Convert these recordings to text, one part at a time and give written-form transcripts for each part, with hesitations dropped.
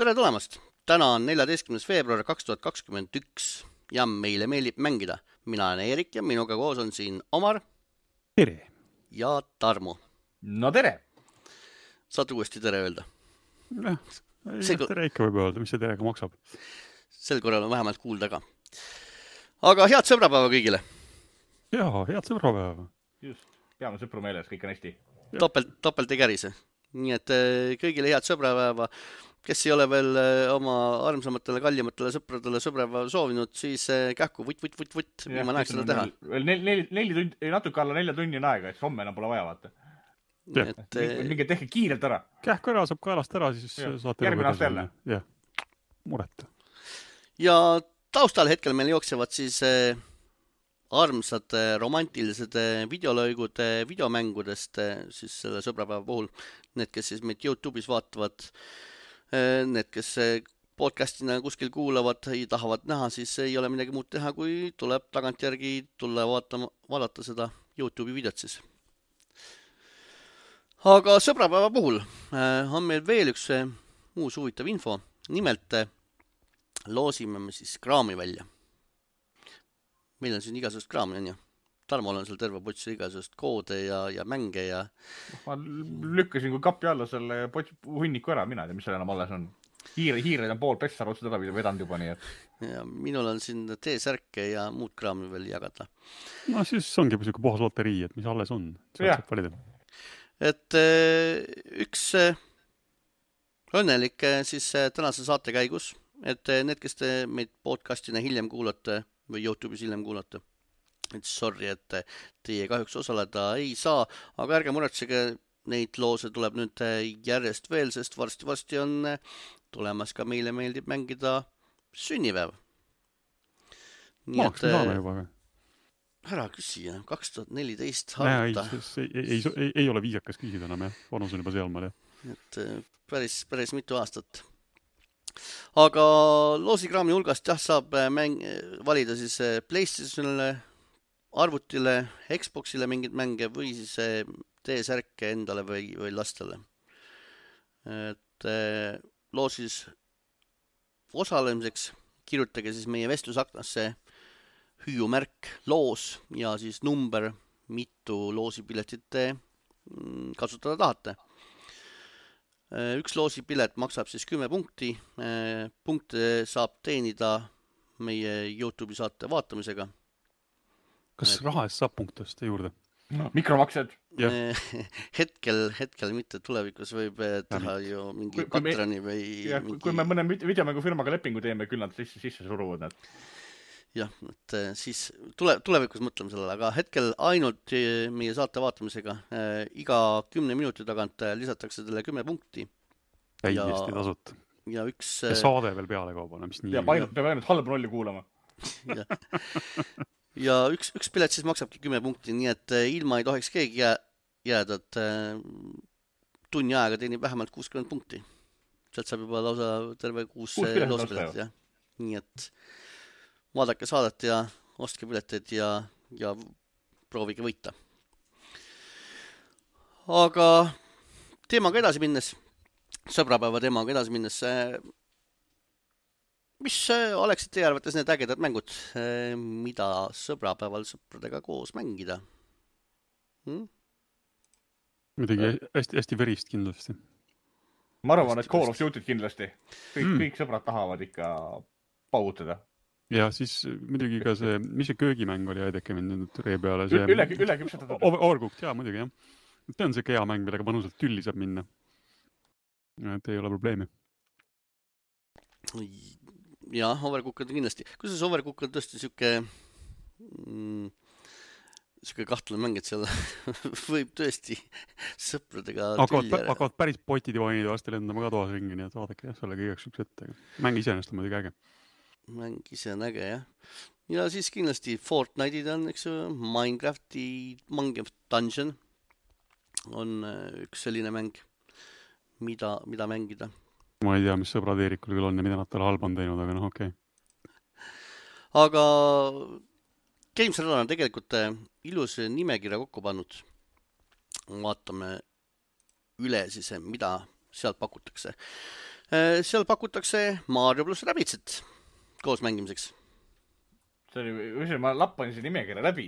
Tere tulemast! Täna on 14. veebruar 2021 ja meile meeldib mängida. Mina olen Eerik ja minuga koos on siin Omar. Tere! Ja Tarmo. No tere! Saad uuesti tere öelda? Tere ikka võib öelda, mis see terega maksab. Sel korral on vähemalt kuulda ka. Aga head sõbrapäeva kõigile! Jaa, head sõbrapäeva! Just, peame sõpru meeles, kõik on hästi. Topelt ei kärise. Nii et kõigile head sõbrapäeva. Kes ei ole veel oma armsamatele, kallimatele sõpradele sõbrapäeva soovinud, siis kähku võtt. Ma näeks seda teha. Veel natuke alla 4 tunni on aega, et homme enam pole vaja vaata. Minge tehke kiirelt ära. Kähku ära saab kaelast ära, siis saate... Järgmine aasta jälle. Jah, mureta. Ja taustal hetkel meil jooksevad siis armsad romantilised videolõigud videomängudest siis selle sõbrapäeva puhul. Need, kes siis meid YouTube'is vaatavad, need, kes podcastina kuskil kuulavad ja tahavad näha, siis ei ole midagi muud teha, kui tuleb tagantjärgi tulla vaadata seda YouTube'i videot siis. Aga sõbrapäeva puhul on meil veel üks uus huvitav info. Nimelt loosime me siis kraami välja. Meil on siin igasugust kraami, on ju. Tarmol on seal terve pots igasugust koode ja mänge ja... Ma lükkasin kui kapi alla selle hunniku ära, mina ei tea, mis seal enam alles on. Hiired on pool pessar otsad ära vedanud juba nii, et... Ja minul on siin T-särke ja muud kraami veel jagada. No siis ongi siuke puhas loterii, et mis alles on. Et üks õnnelik siis tänase saate käigus, et need, kes te meid podcastina hiljem kuulate või YouTube'is hiljem kuulate, et sorry, et teie kahjuks osaleda ei saa, aga ärge muretsege, neid loose tuleb nüüd järjest veel, sest varsti on tulemas ka meile meeldib mängida sünnipäev. Maaks me saame juba või? Ära küsi, 2014 harta. Ei ole viisakas küsida enam, jah. Vanus on juba sealmaal, jah. Et päris mitu aastat. Aga loosikraami hulgast saab valida siis PlayStationile, arvutile, Xboxile mingid mänge või siis T-särke endale või lastele. Et loosis osalemiseks kirjutage siis meie vestlusaknasse hüüumärk loos ja siis number, mitu loosipiletit kasutada tahate. Üks loosipilet maksab siis 10 punkti. Punkte saab teenida meie YouTube'i saate vaatamisega. Kas raha eest saab punktest juurde? Mikromaksed. Hetkel mitte, tulevikus võib teha ju mingi patroni või... Kui me mõne videomängufirmaga lepingu teeme, küll nad sisse suruvad need. Jah, et siis tulevikus mõtleme sellele, aga hetkel ainult meie saate vaatamisega iga 10 minuti tagant lisatakse teile 10 punkti. Täiesti tasut. Ja üks... Ja saade veel peale kaubana, mis nii... Ja peab ainult halba rolli kuulama. Ja üks pilet siis maksabki 10 punkti, nii et ilma ei tohiks keegi jääda, et tunni aega teenib vähemalt 60 punkti. Sealt saab juba lausa terve 6 loospilet, jah. Nii et... vaadake saadet ja ostke pileteid ja proovige võita. Aga teemaga edasi minnes, sõbrapäeva teemaga edasi minnes, mis oleksid teie arvates need ägedad mängud, mida sõbrapäeval sõpradega koos mängida? Midagi hästi verist kindlasti. Ma arvan, et Call of Duty kindlasti. Kõik sõbrad tahavad ikka paugutada. Ja siis muidugi ka see, mis see köögimäng oli Aideke mind ree peale? Üle küpsetatud. Overcooked, jaa, muidugi, jah. See on see hea mäng, millega mõnusalt tülli saab minna. Et ei ole probleemi. Jah, Overcooked kindlasti. Kuidas Overcooked tõesti siuke kahtlane mäng, et seal võib tõesti sõpradega tülli ära. Hakkavad päris potid ja vainid varsti lendama ka toas ringi, nii et vaadake, jah, sellega igaks üks ette. Mäng iseenest on muidugi äge. Mäng ise on äge, jah. Ja siis kindlasti Fortnite'id on, eks ju, Minecraft Dungeon on üks selline mäng, mida mängida. Ma ei tea, mis sõbrad Eerikul küll on ja mida nad talle halba on teinud, aga noh, okei. Aga Games Radar on tegelikult ilus nimekirja kokku pannud. Vaatame üle siis, mida sealt pakutakse. seal pakutakse Mario pluss Rabbidzit koos mängimiseks. see oli, ma lappasin see nimekirja läbi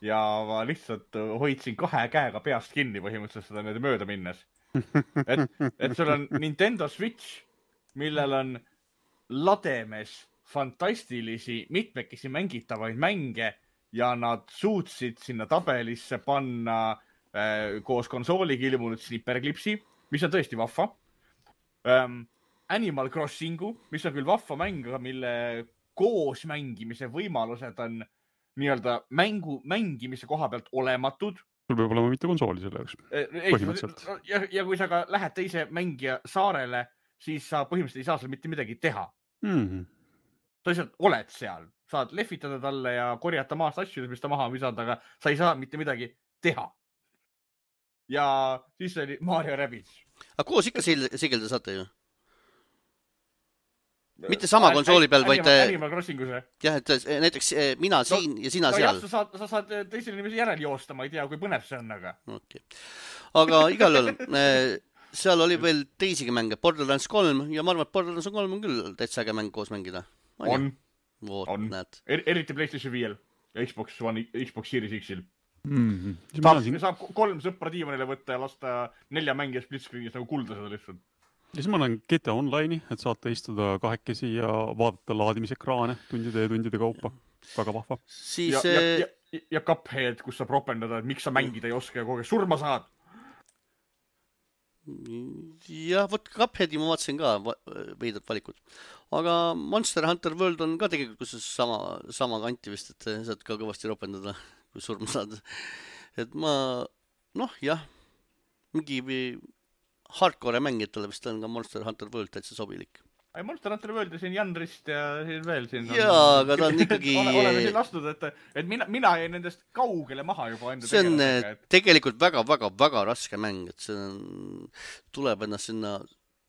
ja ma lihtsalt hoidsin 2 käega peast kinni põhimõtteliselt seda nüüd mööda minnes. Et sul on Nintendo Switch, millel on lademes fantastilisi mitmekesi mängitavaid mänge ja nad suutsid sinna tabelisse panna koos konsooliga ilmunud Snipperclipsi, mis on tõesti vahva. Animal Crossingu, mis on küll vahva mäng, aga mille koos mängimise võimalused on nii-öelda mängimise koha pealt olematud. Sul peab olema mitte konsooli selle jaoks, põhimõtteliselt. Ja kui sa ka lähed teise mängija saarele, siis sa põhimõtteliselt ei saa seal mitte midagi teha. Sa lihtsalt oled seal, saad lehvitada talle ja korjata maast asju, mis ta maha visada, aga sa ei saa mitte midagi teha. Ja siis oli Mario Rabbids. Aga koos ikka sigelda saate ju? Mitte sama konsooli peal, vaid... Animal Crossingus. Jah, et näiteks mina siin ja sina seal. Sa saad teisele inimese järel joosta, ma ei tea, kui põnev see on, aga... Okay. Aga igal juhul, seal oli veel teisigi mänge, Borderlands 3 ja ma arvan, et Borderlands 3 on küll täitsa äge mäng koos mängida. On. Näed. Eriti PlayStation 5 ja Xbox One, Xbox Series X-il. Saab 3 sõpra diivanile võtta ja lasta 4 mängija split-screenis nagu kulda seda lihtsalt. Ja siis ma olen GTA Online'i, et saate istuda 2 ja vaadata laadimisekraane tundide kaupa. Väga vahva. Siis, ja Cuphead, kus saab ropendada, et miks sa mängida ei oska ja kogu aeg surma saad. Ja, vot Cupheadi ma vaatasin ka veidrat valikud. Aga Monster Hunter World on ka tegelikult kus sama kanti vist, et saad ka kõvasti ropendada, kui surma saad. Et ma, mingi hardcore mängijatele vist on ka Monster Hunter World täitsa sobilik. Monster Hunter World ja siin Janrist ja siin veel siin. Jaa, aga ta on ikkagi... Oleme siin lastud, et mina jäin nendest kaugele maha juba enda see on tegelikult väga raske mäng, et see tuleb ennast sinna,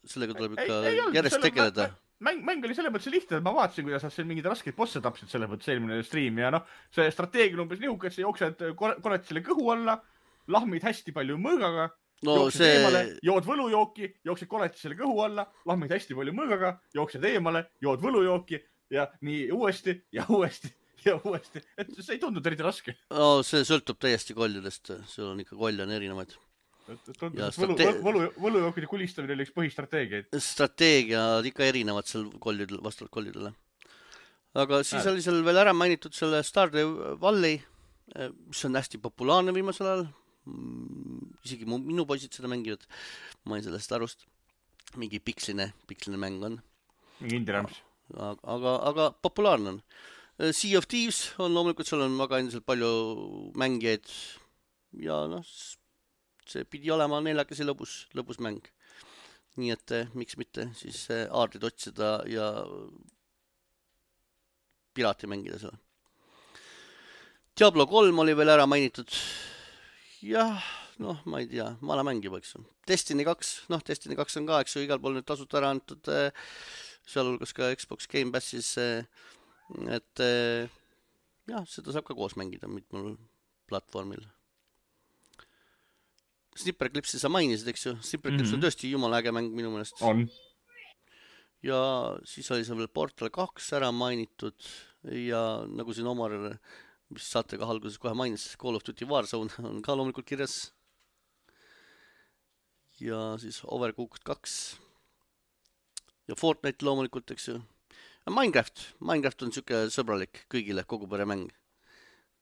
sellega tuleb ikka järjest tegeleda. Mäng oli selle mõttes lihtne, et ma vaatasin, kuidas sa mingid raskeid bosse tapsid selle mõttes eelmine stream ja see strateegia umbes nihuke, et sa jooksed korratisele kõhu alla, lahmid hästi palju mõõgaga, jooksed eemale, jood võlujooki, jooksed koletisele kõhu alla, lahmid hästi palju mõõgaga, jooksed eemale, jood võlujooki ja nii uuesti ja uuesti ja uuesti. Et see ei tundunud eriti raske. See sõltub täiesti kollidest. Sul on ikka kolle on erinevaid. Võlujookide kulistamine oli üks põhistrateegiaid. Strateegiad ikka erinevad seal vastavalt kollidele. Aga siis oli seal veel ära mainitud selle Stardew Valley, mis on hästi populaarne viimasel ajal. Isegi minu poisid seda mängivad. Ma ei sellest arust. Mingi piksline mäng on. Mingi indie-ramps. Aga populaarne on. Sea of Thieves on loomulikult, seal on väga endiselt palju mängijaid ja see pidi olema neljakesi lõbus mäng. Nii et miks mitte siis aardid otsida ja piraati mängida seal. Diablo 3 oli veel ära mainitud. Jah, ma ei tea, vana mäng juba, eks. Destiny 2, Destiny 2 on ka, eks ju, igal pool nüüd tasut ära antud, sealhulgas ka Xbox Game Passis, et jah, seda saab ka koos mängida mitmel platvormil. Snipperclipsi sa mainisid, eks ju, Snipperclips on tõesti jumala äge mäng minu meelest. On. Ja siis oli see veel Portal 2 ära mainitud ja nagu siin Omar, mis saate ka alguses kohe mainis, Call of Duty Warzone on ka loomulikult kirjas. Ja siis Overcooked 2 ja Fortnite loomulikult, eks ju. Ja Minecraft on siuke sõbralik kõigile, kogu pere mäng.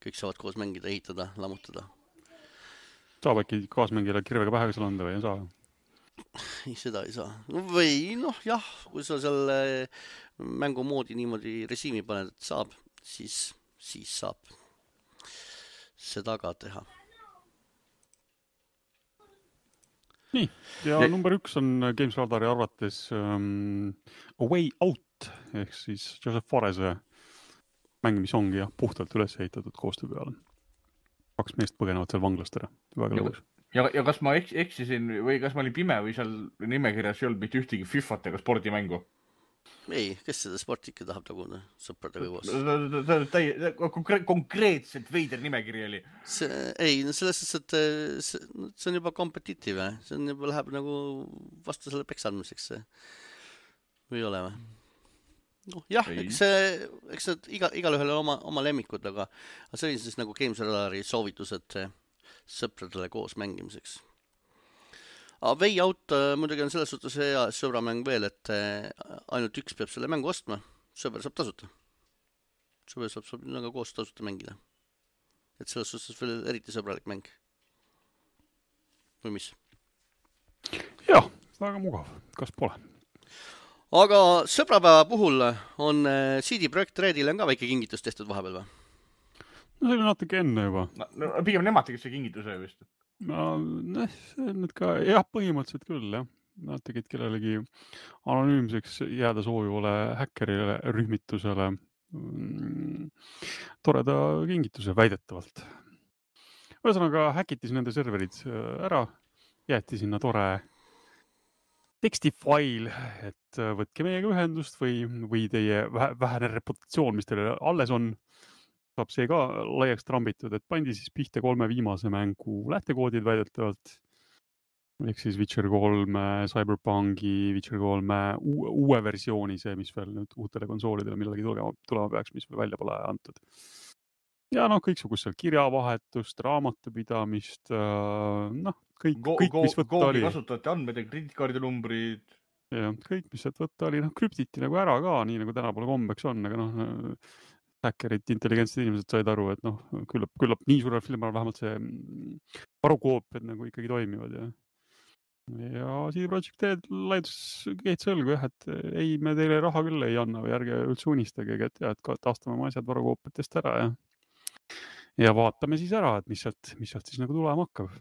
Kõik saavad koos mängida, ehitada, lammutada. Saab äkki kaasmängile kirvega pähe seal anda või ei saa? Ei, seda ei saa. Või jah, kui sa selle mängumoodi niimoodi režiimi paned, et saab, siis saab seda ka teha. Nii, ja number 1 on Games Radari arvates A Way Out, ehk siis Joseph Farese mäng, mis ongi puhtalt üles ehitatud koostöö peale. 2 meest põgenevad seal vanglast ära. Väga lõbus. Ja kas ma eksisin või kas ma olin pime või seal nimekirjas ei olnud mitte ühtegi FIFAt ega spordimängu? Ei, kes seda sporti ikka tahab taguda sõpradega koos? Konkreetselt veider nimekiri oli. Ei, selles mõttes, et see on juba kompetitiiv. See on juba läheb nagu vastasele peksandmiseks. või ei ole või? No, jah, Ei. eks need igalühel on oma lemmikud, aga see oli siis nagu Games Radari soovitused sõpradele koos mängimiseks. Way Out muidugi on selles suhtes hea sõbramäng veel, et ainult üks peab selle mängu ostma, sõber saab tasuta. Sõber saab nagu koos tasuta mängida. Et selles suhtes veel eriti sõbralik mäng. Või mis? Jah, väga mugav, kas pole. Aga sõbrapäeva puhul on CD Projekt Redile on ka väike kingitus tehtud vahepeal või? No see oli natuke enne juba. No, pigem nemad tegid see kingituse vist. No, need ka, jah, põhimõtteliselt küll, jah. Nad tegid kellelegi anonüümseks jääda soovivale häkkerile rühmitusele toreda kingituse väidetavalt. Ühesõnaga häkiti nende serverid ära, jäeti sinna tore tekstifail, et võtke meiega ühendust või teie vähene reputatsioon, mis teile alles on, saab see ka laiaks trambitud, et pandi siis pihta 3 viimase mängu lähtekoodid väidetavalt. Ehk siis Witcher 3, Cyberpunki, Witcher 3 uue versiooni, see, mis veel nüüd uutele konsoolidele millalgi tulema peaks, mis veel välja pole antud. Ja kõiksugust seal kirjavahetust, raamatupidamist, kõik mis võtta oli. Kasutajate andmed ja kreditkaardinumbrid. Ja, kõik, mis sealt võtta oli, krüptiti nagu ära ka, nii nagu tänapäeval kombeks on, aga häkkerid, intelligentsed inimesed said aru, et küllap nii suurel filmil vähemalt see varukoopiad nagu ikkagi toimivad. Ja CD Projekt Red laidus keet sõlgu, et ei, me teile raha küll ei anna või ärge üldse unistage, et taastame oma asjad varukoopiatest ära ja vaatame siis ära, et mis sealt siis nagu tulema hakkab.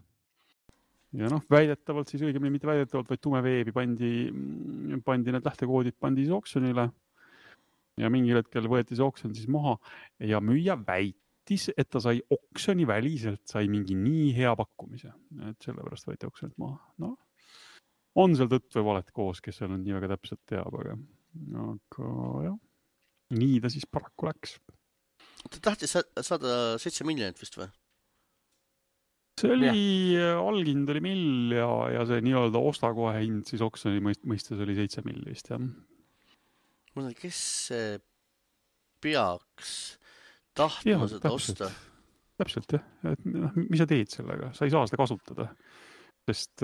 Ja väidetavalt siis õigemini mitte väidetavalt, vaid tume veebi pandi need lähtekoodid siis oksjonile. Ja mingil hetkel võeti see oksjon siis maha ja müüja väitis, et ta sai oksjoni väliselt, sai mingi nii hea pakkumise, et sellepärast võeti oksjonilt maha. On seal tõtt või valet koos, kes seal nii väga täpselt teab, aga jah, nii ta siis paraku läks. Ta tahtis saada 7 miljonit vist või? See oli, algind oli mill ja see nii-öelda ostakohe hind siis oksjoni mõistes oli 7 miljonist, jah. Mõtlen, kes peaks tahtma seda osta? Täpselt, jah. Et, mis sa teed sellega? Sa ei saa seda kasutada. Sest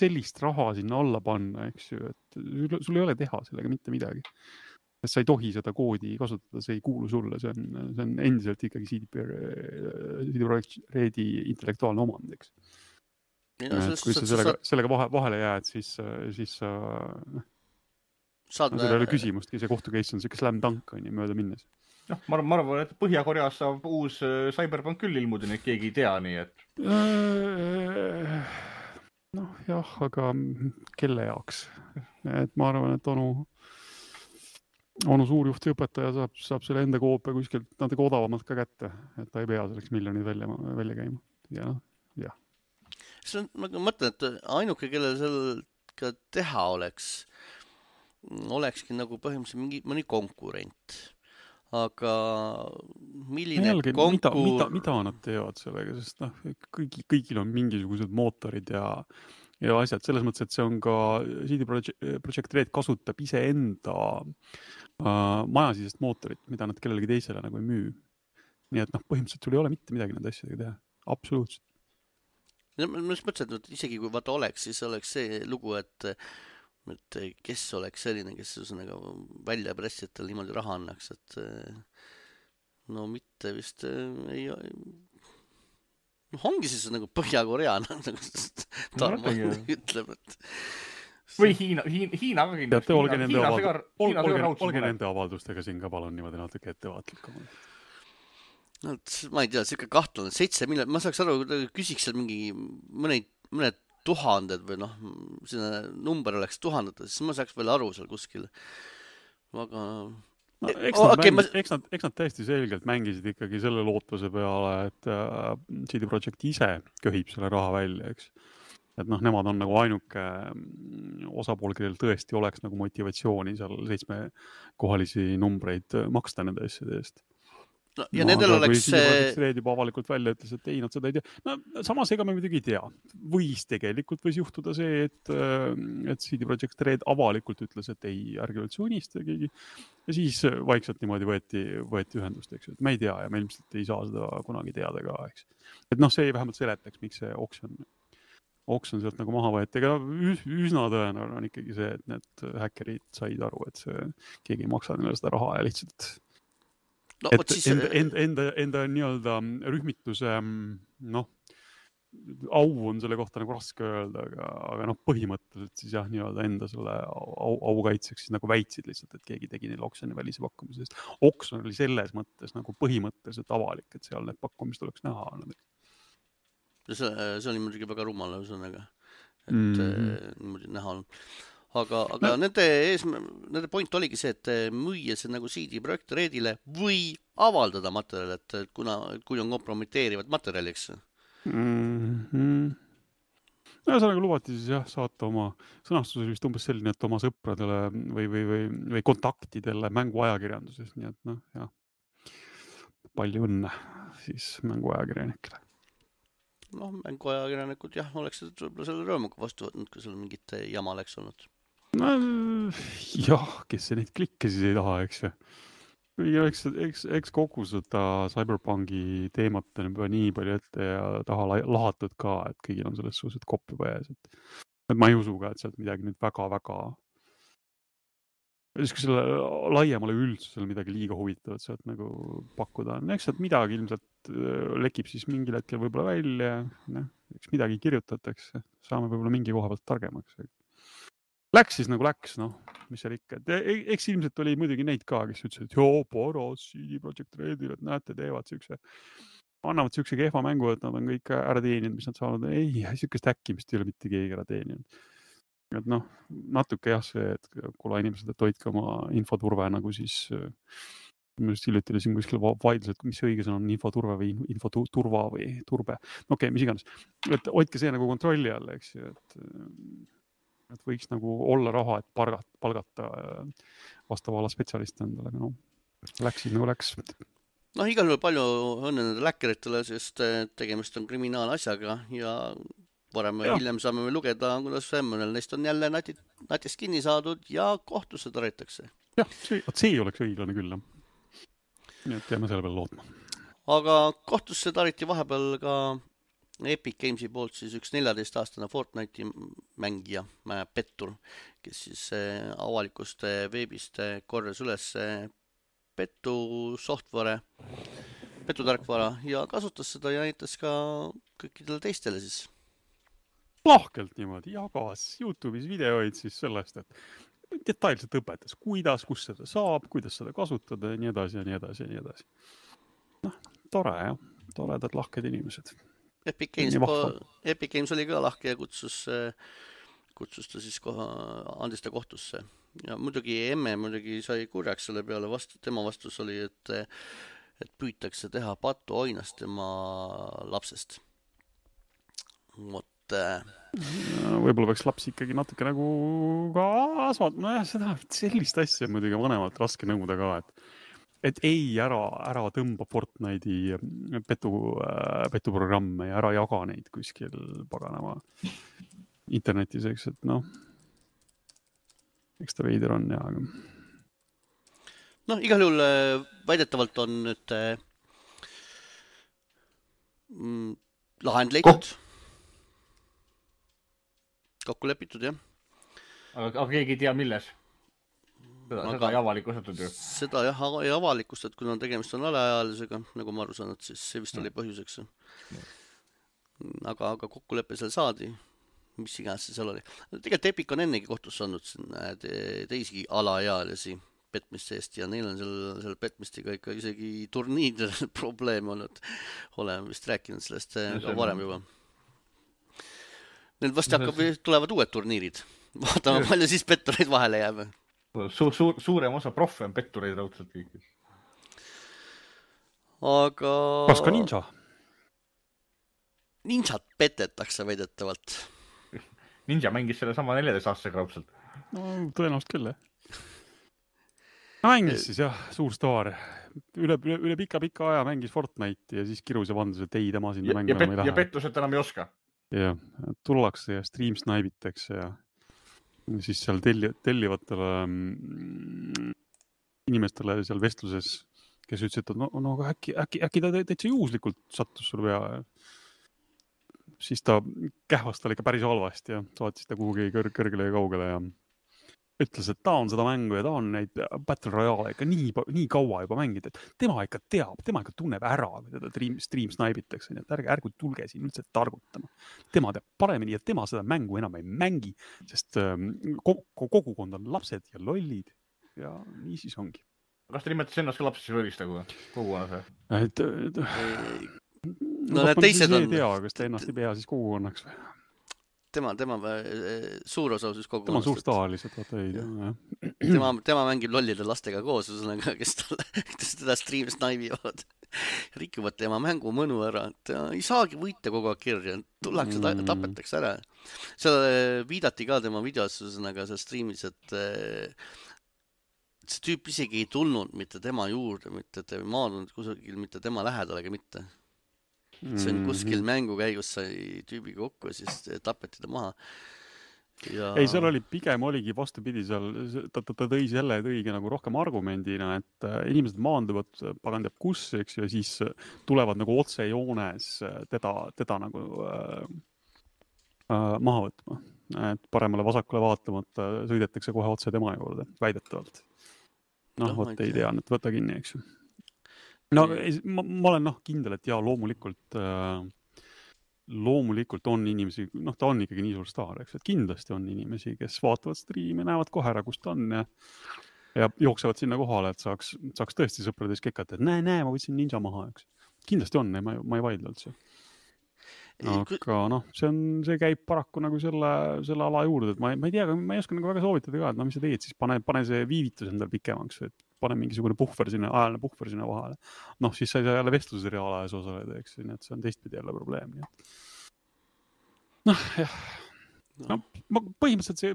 sellist raha sinna alla panna, eks ju, et sul ei ole teha sellega mitte midagi. Sest sa ei tohi seda koodi kasutada, see ei kuulu sulle, see on endiselt ikkagi CD Projekt Redi intellektuaalne omand, eks. Kui sa sellega vahele jääd, siis sa seal ei ole küsimustki, see kohtukeis on selline slam dunk on ju mööda minnes. Ma arvan, et Põhja-Koreas saab uus Cyberpunk küll ilmuda, nii et keegi ei tea, nii et... jah, aga kelle jaoks? Et ma arvan, et onu suurjuhti õpetaja saab selle enda koopia kuskilt natuke odavamalt ka kätte, et ta ei pea selleks miljonid välja käima. Ja. Ma mõtlen, et ainuke, kellel seal ka teha olekski nagu põhimõtteliselt mõni konkurent. Aga milline mida nad teevad sellega, sest kõigil on mingisugused mootorid ja asjad. Selles mõttes, et see on ka CD Projekt Red kasutab iseenda majasisest mootorit, mida nad kellelegi teisele nagu ei müü. Nii et põhimõtteliselt sul ei ole mitte midagi nende asjadega teha. Absoluutselt. Ma mõtlesin, et isegi kui vaata oleks, siis oleks see lugu, et kes oleks selline, kes välja pressijatel niimoodi raha annaks, et mitte vist ei... ongi siis nagu Põhja-Koreana, Tarmo ütleb, et... Või Hiina ka kindlasti. Olge nende avaldustega siin ka palun niimoodi natuke ettevaatlikumalt. Ma ei tea, see ikka kahtlane, 7 miljonit, ma saaks aru, küsiks seal mingi mõned tuhanded või selline number oleks tuhandetes, siis ma saaks veel aru seal kuskil. Aga... Eks nad täiesti selgelt mängisid ikkagi selle lootuse peale, et CD Projekt ise köhib selle raha välja, eks. Et nemad on nagu ainuke osapool, kellel tõesti oleks nagu motivatsiooni seal 7 kohalisi numbreid maksta nende asjade eest. No, ja nendel oleks CD Projekt Red juba avalikult välja ütles, et ei, nad seda ei tea. No samas ega me muidugi ei tea. Võis juhtuda see, et CD Projekt Red avalikult ütles, et ei, ärge üldse unista keegi. Ja siis vaikselt niimoodi võeti ühendust, eks ju. Et me ei tea ja me ilmselt ei saa seda kunagi teada ka, eks. Et noh, see vähemalt seletaks, miks see oksjon sealt nagu maha võeti. Ega üsna tõenäoline on ikkagi see, et need häkkerid said aru, et keegi ei maksa neile seda raha ja lihtsalt no, et siis... enda nii-öelda rühmituse au on selle kohta nagu raske öelda, aga noh, põhimõtteliselt siis jah, nii-öelda enda selle au kaitseks siis nagu väitsid lihtsalt, et keegi tegi neile oksjoni välise pakkumise. Oksjon oli selles mõttes nagu põhimõtteliselt avalik, et seal need pakkumist oleks näha. See oli muidugi väga rumal ühesõnaga, et niimoodi näha on. Aga nende point oligi see, et müüa see nagu CD Projekt Redile või avaldada materjali, et kui on kompromiteerivad materjali, eks. Ühesõnaga lubati siis jah, saata oma sõnastus vist umbes selline, et oma sõpradele või kontaktidele mänguajakirjanduses, nii et noh, jah, palju õnne siis mänguajakirjanikele. Noh, mänguajakirjanikud jah, oleks selle rõõmuga vastu võtnud, kui seal mingit jama oleks olnud. No, jah, kes see neid klikke siis ei taha, eks ju. Eks kogu seda Cyberpunki teemat on juba nii palju ette ja taha lahatud ka, et kõigil on selles suhtes kopp juba ees. Et ma ei usu ka, et sealt midagi nüüd väga selle laiemale üldsusele midagi liiga huvitavat sealt nagu pakkuda. Eks sealt midagi ilmselt lekib siis mingil hetkel võib-olla välja, eks midagi kirjutatakse, saame võib-olla mingi koha pealt targemaks. Läks siis nagu läks, noh, mis seal ikka. Eks ilmselt oli muidugi neid ka, kes ütlesid, et joo, paras CD Projekt Redil, et näete, annavad siukse kehva mängu, et nad on kõik ära teeninud, mis nad saanud. Ei, siukest häkkimist ei ole mitte keegi ära teeninud. Et noh, natuke jah see, et kuule inimesed, et hoidke oma infoturve nagu siis, ma just hiljuti oli siin kuskil vaidlused, mis õige sõna on infoturve või infoturva või turbe. Okei, mis iganes. Et hoidke see nagu kontrolli all, eks ju, et võiks nagu olla raha, et palgata vastava ala spetsialiste endale, aga noh, läks siis nagu läks. Noh, igal juhul palju õnne nende läkkeritele, sest tegemist on kriminaalasjaga ja varem või hiljem saame me lugeda, kuidas mõnel neist on jälle natist kinni saadud ja kohtusse taritakse. Jah, see oleks õiglane küll. Nii et jääme selle peale lootma. Aga kohtusse tariti vahepeal ka Epic Gamesi poolt siis üks 14-aastane Fortnite'i mängija, pettur, kes siis avalikust veebist korjas üles petutarkvara ja kasutas seda ja näitas ka kõikidele teistele siis. Lahkelt niimoodi jagas YouTube'is videoid siis sellest, et detailselt õpetas, kus seda saab, kuidas seda kasutada ja nii edasi ja nii edasi ja nii edasi. Noh, tore jah, toredad lahked inimesed. Epic Games oli ka lahke ja kutsus ta siis andis ta kohtusse. Ja muidugi emme sai kurjaks selle peale, tema vastus oli, et püütakse teha patuoinast tema lapsest. Võib-olla peaks laps ikkagi natuke nagu ka sellist asja muidugi vanemalt raske nõuda ka, et ei, ära tõmba Fortnite'i petuprogramme ja ära jaga neid kuskil paganama internetis, eks, et noh, eks ta veider on ja aga... Noh, igal juhul väidetavalt on nüüd lahend leitud. Kokku lepitud, jah. Aga keegi ei tea, milles? Seda ei avalikustatud ju. Seda jah, ei avalikustatud, kuna tegemist on alaealisega, nagu ma aru saan, et siis see vist oli põhjuseks. Aga kokkulepe seal saadi, mis iganes see seal oli. Tegelikult Epic on ennegi kohtusse andnud teisi alaealisi petmiste eest ja neil on selle petmistiga ikka isegi turniidel probleeme olnud. Oleme vist rääkinud sellest ka varem juba. Need vast tulevad uued turniirid. Vaatame, palju siis pettureid vahele jääb. Suurem osa proffe on pettureid raudselt kõik. Aga... Kas ka ninja? Ninjat petetakse veidetavalt. Ninja mängis selle sama 14 aastasega raudselt. No, tõenäoliselt küll, mängis siis jah, suur staar. Üle pika aja mängis Fortnite'i ja siis kirus ja vandas, et ei, tema sinna mängu enam ei lähe. Ja pettused enam ei oska. Ja tullakse ja stream snaibitakse ja siis seal tellivatele inimestele seal vestluses, kes ütlesid, et no äkki ta täitsa juhuslikult sattus sul pea. Siis ta kähvas tal ikka päris halvasti ja saatis ta kuhugi kõrgele ja kaugele ja ütles, et ta on seda mängu ja ta on neid Battle Royale ikka nii kaua juba mängida, et tema ikka teab, tema ikka tunneb ära, kui teda stream snaibitakse, nii et ärgu tulge siin üldse targutama. Tema teab paremini ja tema seda mängu enam ei mängi, sest kogukond on lapsed ja lollid ja nii siis ongi. Kas te nimetas ennast ka lapsesse võlist kogukonnas? No need teised on... Ei tea, kas ta ennast ei pea siis kogukonnaks või? Tema suur osa siis kogukonnast. Tema on suur staar lihtsalt, vaata ei tea. Tema mängib lollide lastega koos, kes teda stream snaibivad. Rikuvad tema mängu mõnu ära. Ta ei saagi võita kogu aeg kirja. Tullakse, tapetakse ära. Seal viidati ka tema videos, seal streamis, et see tüüp isegi ei tulnud mitte tema juurde, mitte maadunud kusagil, mitte tema lähedalega mitte. See on kuskil mängu käigus sai tüübi kokku ja siis tapeti ta maha. Ja... Ei, seal oli pigem oligi vastupidi seal, ta tõigi nagu rohkem argumendina, et inimesed maanduvad pagan teab kus, eks ju, ja siis tulevad nagu otsejoones teda nagu maha võtma. Et paremale vasakule vaatamata sõidetakse kohe otse tema juurde, väidetavalt. Võt ei tea, et võta kinni, eks ju. No, ma olen kindel, et loomulikult on inimesi, ta on ikkagi nii suur staar, eks, et kindlasti on inimesi, kes vaatavad striimi, näevad kohe ära, kus ta on ja jooksevad sinna kohale, et saaks tõesti sõprades kekata, et näe, ma võtsin ninja maha, eks. Kindlasti on, ma ei vaidle üldse. Aga see käib paraku nagu selle ala juurde, et ma ei tea, ma ei oska nagu väga soovitada ka, et mis sa teed, siis pane see viivitus endal pikemaks, et pane mingisugune ajaline puhver sinna vahele. Siis sa ei saa jälle vestluses reaalajas osaleda, eks, nii et see on teistpidi jälle probleem. Jah. Põhimõtteliselt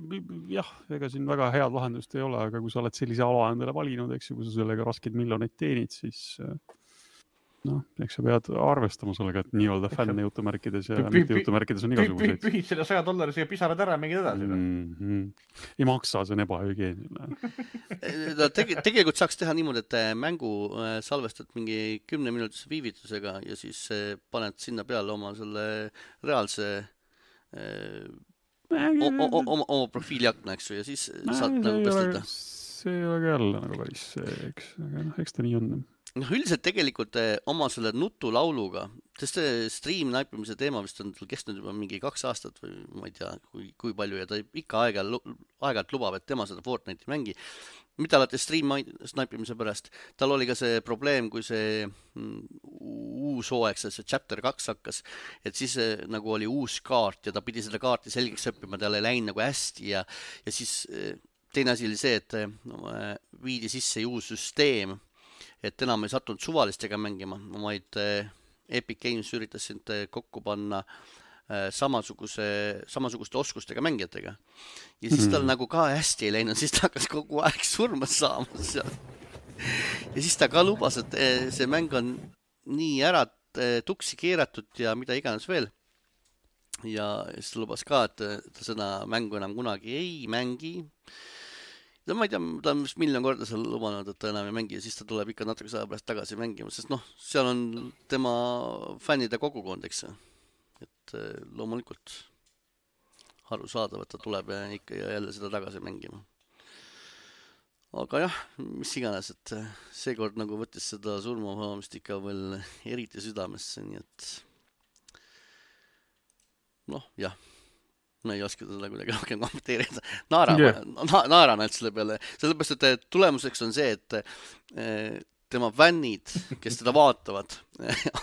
ega siin väga head lahendust ei ole, aga kui sa oled sellise ala endale valinud, eks ju, kui sa sellega rasked miljoneid teenid, siis eks sa pead arvestama sellega, et nii-öelda fänne jutumärkides ja mitte jutumärkides on igasuguseid. Pühid selle $100 ja pisarad ära, mängid edasi. Ei maksa, see on ebahügieniline. Tegelikult saaks teha niimoodi, et mängu salvestad mingi 10-minutise viivitusega ja siis paned sinna peale oma selle reaalse oma profiiliakna, eks ju, ja siis saad nagu pestada. See ei ole ka jälle nagu päris see, eks ta nii on. Üldiselt tegelikult oma selle nutulauluga, sest stream naipimise teema vist on kestnud juba mingi 2 aastat või ma ei tea, kui palju ja ta ikka aeg-ajalt lubab, et tema seda Fortnite'i mängi. Mitte alati stream naipimise pärast. Tal oli ka see probleem, kui see uus hooaeg, see chapter 2 hakkas, et siis nagu oli uus kaart ja ta pidi seda kaarti selgeks õppima, tal ei läinud nagu hästi ja siis teine asi oli see, et viidi sisse uus süsteem, et enam ei sattunud suvalistega mängima, vaid Epic Games üritas sind kokku panna samasuguste oskustega mängijatega. Ja siis tal nagu ka hästi ei läinud, siis ta hakkas kogu aeg surma saama seal. Ja siis ta ka lubas, et see mäng on nii ära tuksi keeratud ja mida iganes veel. Ja siis ta lubas ka, et ta seda mängu enam kunagi ei mängi. Ma ei tea, ta on vist miljon korda seal lubanud, et ta enam ei mängi ja siis ta tuleb ikka natuke aja pärast tagasi mängima, sest seal on tema fännide kogukond, eks. Et loomulikult arusaadav, et ta tuleb ja ikka jälle seda tagasi mängima. Aga jah, mis iganes, et seekord nagu võttis seda surmahamist ikka veel eriti südamesse, nii et jah. Ma ei oska seda kuidagi rohkem kommenteerida. Naeran ainult selle peale. Sellepärast, et tulemuseks on see, et tema fännid, kes teda vaatavad,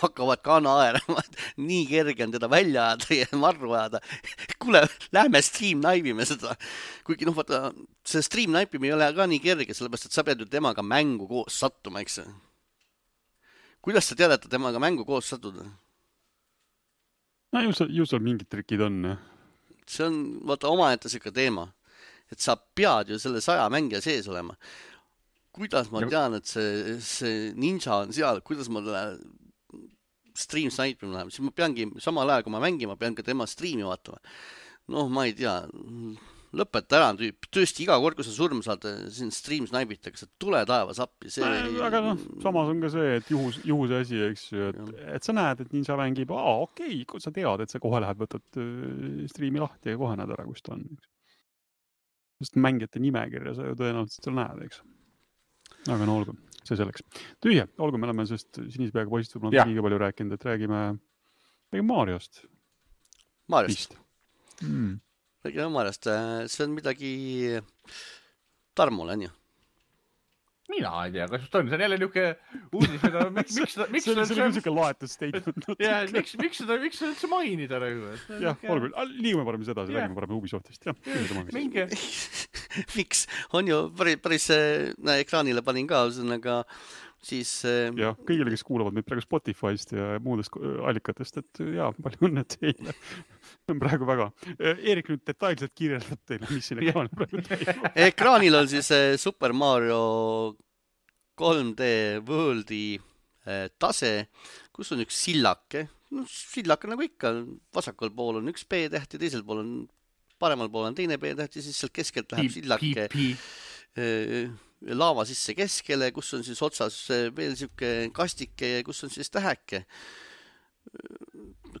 hakkavad ka naerama. Nii kerge on teda välja ajada ja marru ajada. Kuule, lähme stream naibime seda. Kuigi vaata, see stream naipimine ei ole ka nii kerge, sellepärast, et sa pead ju temaga mängu koos sattuma, eks. Kuidas sa tead, et temaga mängu koos sattuda? Ju seal mingid trikid on, jah. See on, vaata, omaette siuke teema, et sa pead ju selle 100 mängija sees olema. kuidas ma tean, et see ninja on seal, kuidas ma stream snaipima läheb, siis ma peangi samal ajal, kui ma mängin, ma pean ka tema streami vaatama. Noh, ma ei tea, lõpeta ära tüüp, tõesti iga kord, kui sa surma saad, siin stream snaibitakse, tule taevas appi. Aga noh, samas on ka see, et juhuse asi, eks ju, et sa näed, et ninja mängib, okei, kui sa tead, et sa kohe lähed, võtad streami lahti ja kohe näed ära, kus ta on. Sest mängijate nimekirja sa ju tõenäoliselt seal näed, eks. Aga no olgu, see selleks. Tühje, olgu, me oleme sest sinise peaga poisid võib-olla liiga palju rääkinud, et räägime Mariost. Mariost. Räägime Mariost. See on midagi Tarmule, on ju? Mina ei tea, kas just on, see on jälle niuke uudis, mida miks see oli niisugune laetud statement. Miks seda üldse mainida rõhu? Jah, olgu, liigume parem sedasi, räägime parem Ubisoftist. Minge. Miks? On ju päris ekraanile panin ka, aga siis... Jah, kõigile, kes kuulavad meid praegu Spotify'st ja muudest allikatest, et palju õnne teile. On praegu väga. Eerik nüüd detailselt kirjeldab teile, mis siin ekraanil praegu teile. Ekraanil on siis Super Mario 3D Worldi tase, kus on üks sillake. No, sillake nagu ikka, vasakul pool on üks B-täht ja teisel pool on, paremal pool on teine B-täht ja siis sealt keskelt läheb sillake laava sisse keskele, kus on siis otsas veel siuke kastike ja kus on siis täheke.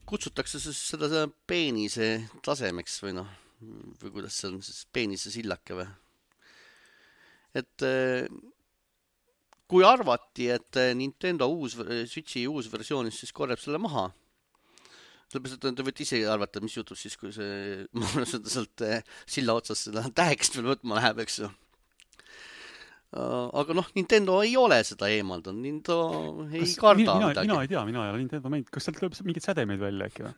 Kutsutakse seda peenise tasemeks või noh, või kuidas see on siis peenise sillake või. Et kui arvati, et Nintendo Switchi uus versioonis siis korjab selle maha, sellepärast, et te võite ise arvata, mis juhtub siis, kui see sealt silla otsas seda tähekest veel võtma läheb, eks ju. Aga noh, Nintendo ei ole seda eemaldanud, Nintendo ei karda midagi. Mina ei tea, mina ei ole Nintendo mängid. Kas sealt lööb mingid sädemeid välja äkki või?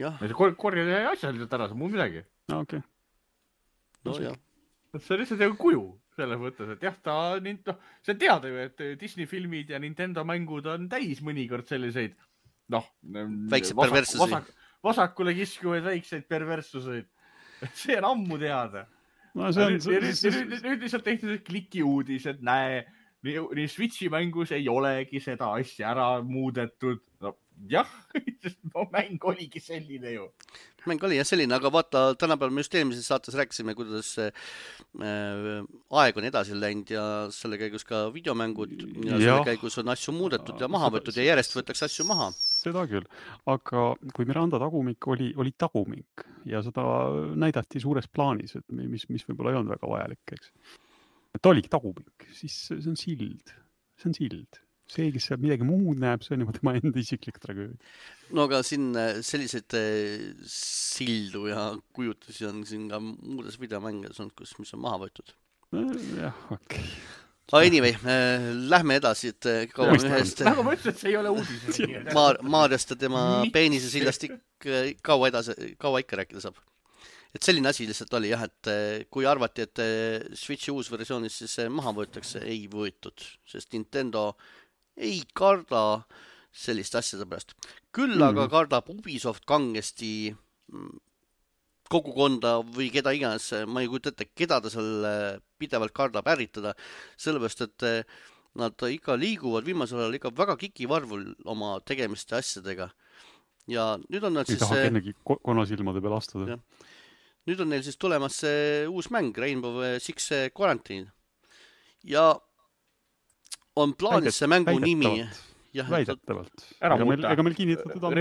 Jah. Korjad asjaliselt ära, see muu midagi. No, okei. No jah. See on lihtsalt kuju selles mõttes, et jah, see on teada ju, et Disney filmid ja Nintendo mängud on täis mõnikord selliseid, väikseid perverssusi. Vasakule kiskuvaid väikseid perverssuseid. See on ammu teada. No, nüüd lihtsalt tehti kliki uudis, et näe, nii Switchi mängus ei olegi seda asja ära muudetud. No jah, mäng oligi selline ju. Mäng oli jah selline, aga vaata, tänapäeval me just eelmises saates rääkisime, kuidas aeg on edasi läinud ja selle käigus ka videomängud ja selle käigus on asju muudetud ja maha võetud ja järjest võetakse asju maha. Seda küll, aga kui Miranda tagumik oli tagumik ja seda näidati suures plaanis, et mis võib-olla ei olnud väga vajalik, eks. Ta oligi tagumik, siis see on sild. See on sild. See, kes seal midagi muud näeb, see on juba tema enda isiklik tragöödia. No aga siin selliseid sildu ja kujutusi on siin ka muudes videomängides olnud, mis on maha võetud. Jah, okei. Aga anyway, lähme edasi, et kaua ühest... Nagu ma ütlesin, et see ei ole uudis. Mariost ja tema peenise sillast kaua ikka rääkida saab. Et selline asi lihtsalt oli jah, et kui arvati, et Switchi uus versioonis siis maha võetakse, ei võetud, sest Nintendo ei karda sellist asjade pärast. Küll aga kardab Ubisoft kangesti kogukonda või keda iganes, ma ei kujuta ette, keda ta seal pidevalt kardab ärritada, sellepärast, et nad ikka liiguvad viimasel ajal ikka väga kikivarvul oma tegemiste asjadega. Ja nüüd on nad siis... Ei taha ennegi konnasilmade peal astuda. Ja. Nüüd on neil siis tulemas uus mäng, Rainbow Six Quarantine. Ja on plaanis see mängu nimi. Väidetavalt. Ega meil kinnitatud on...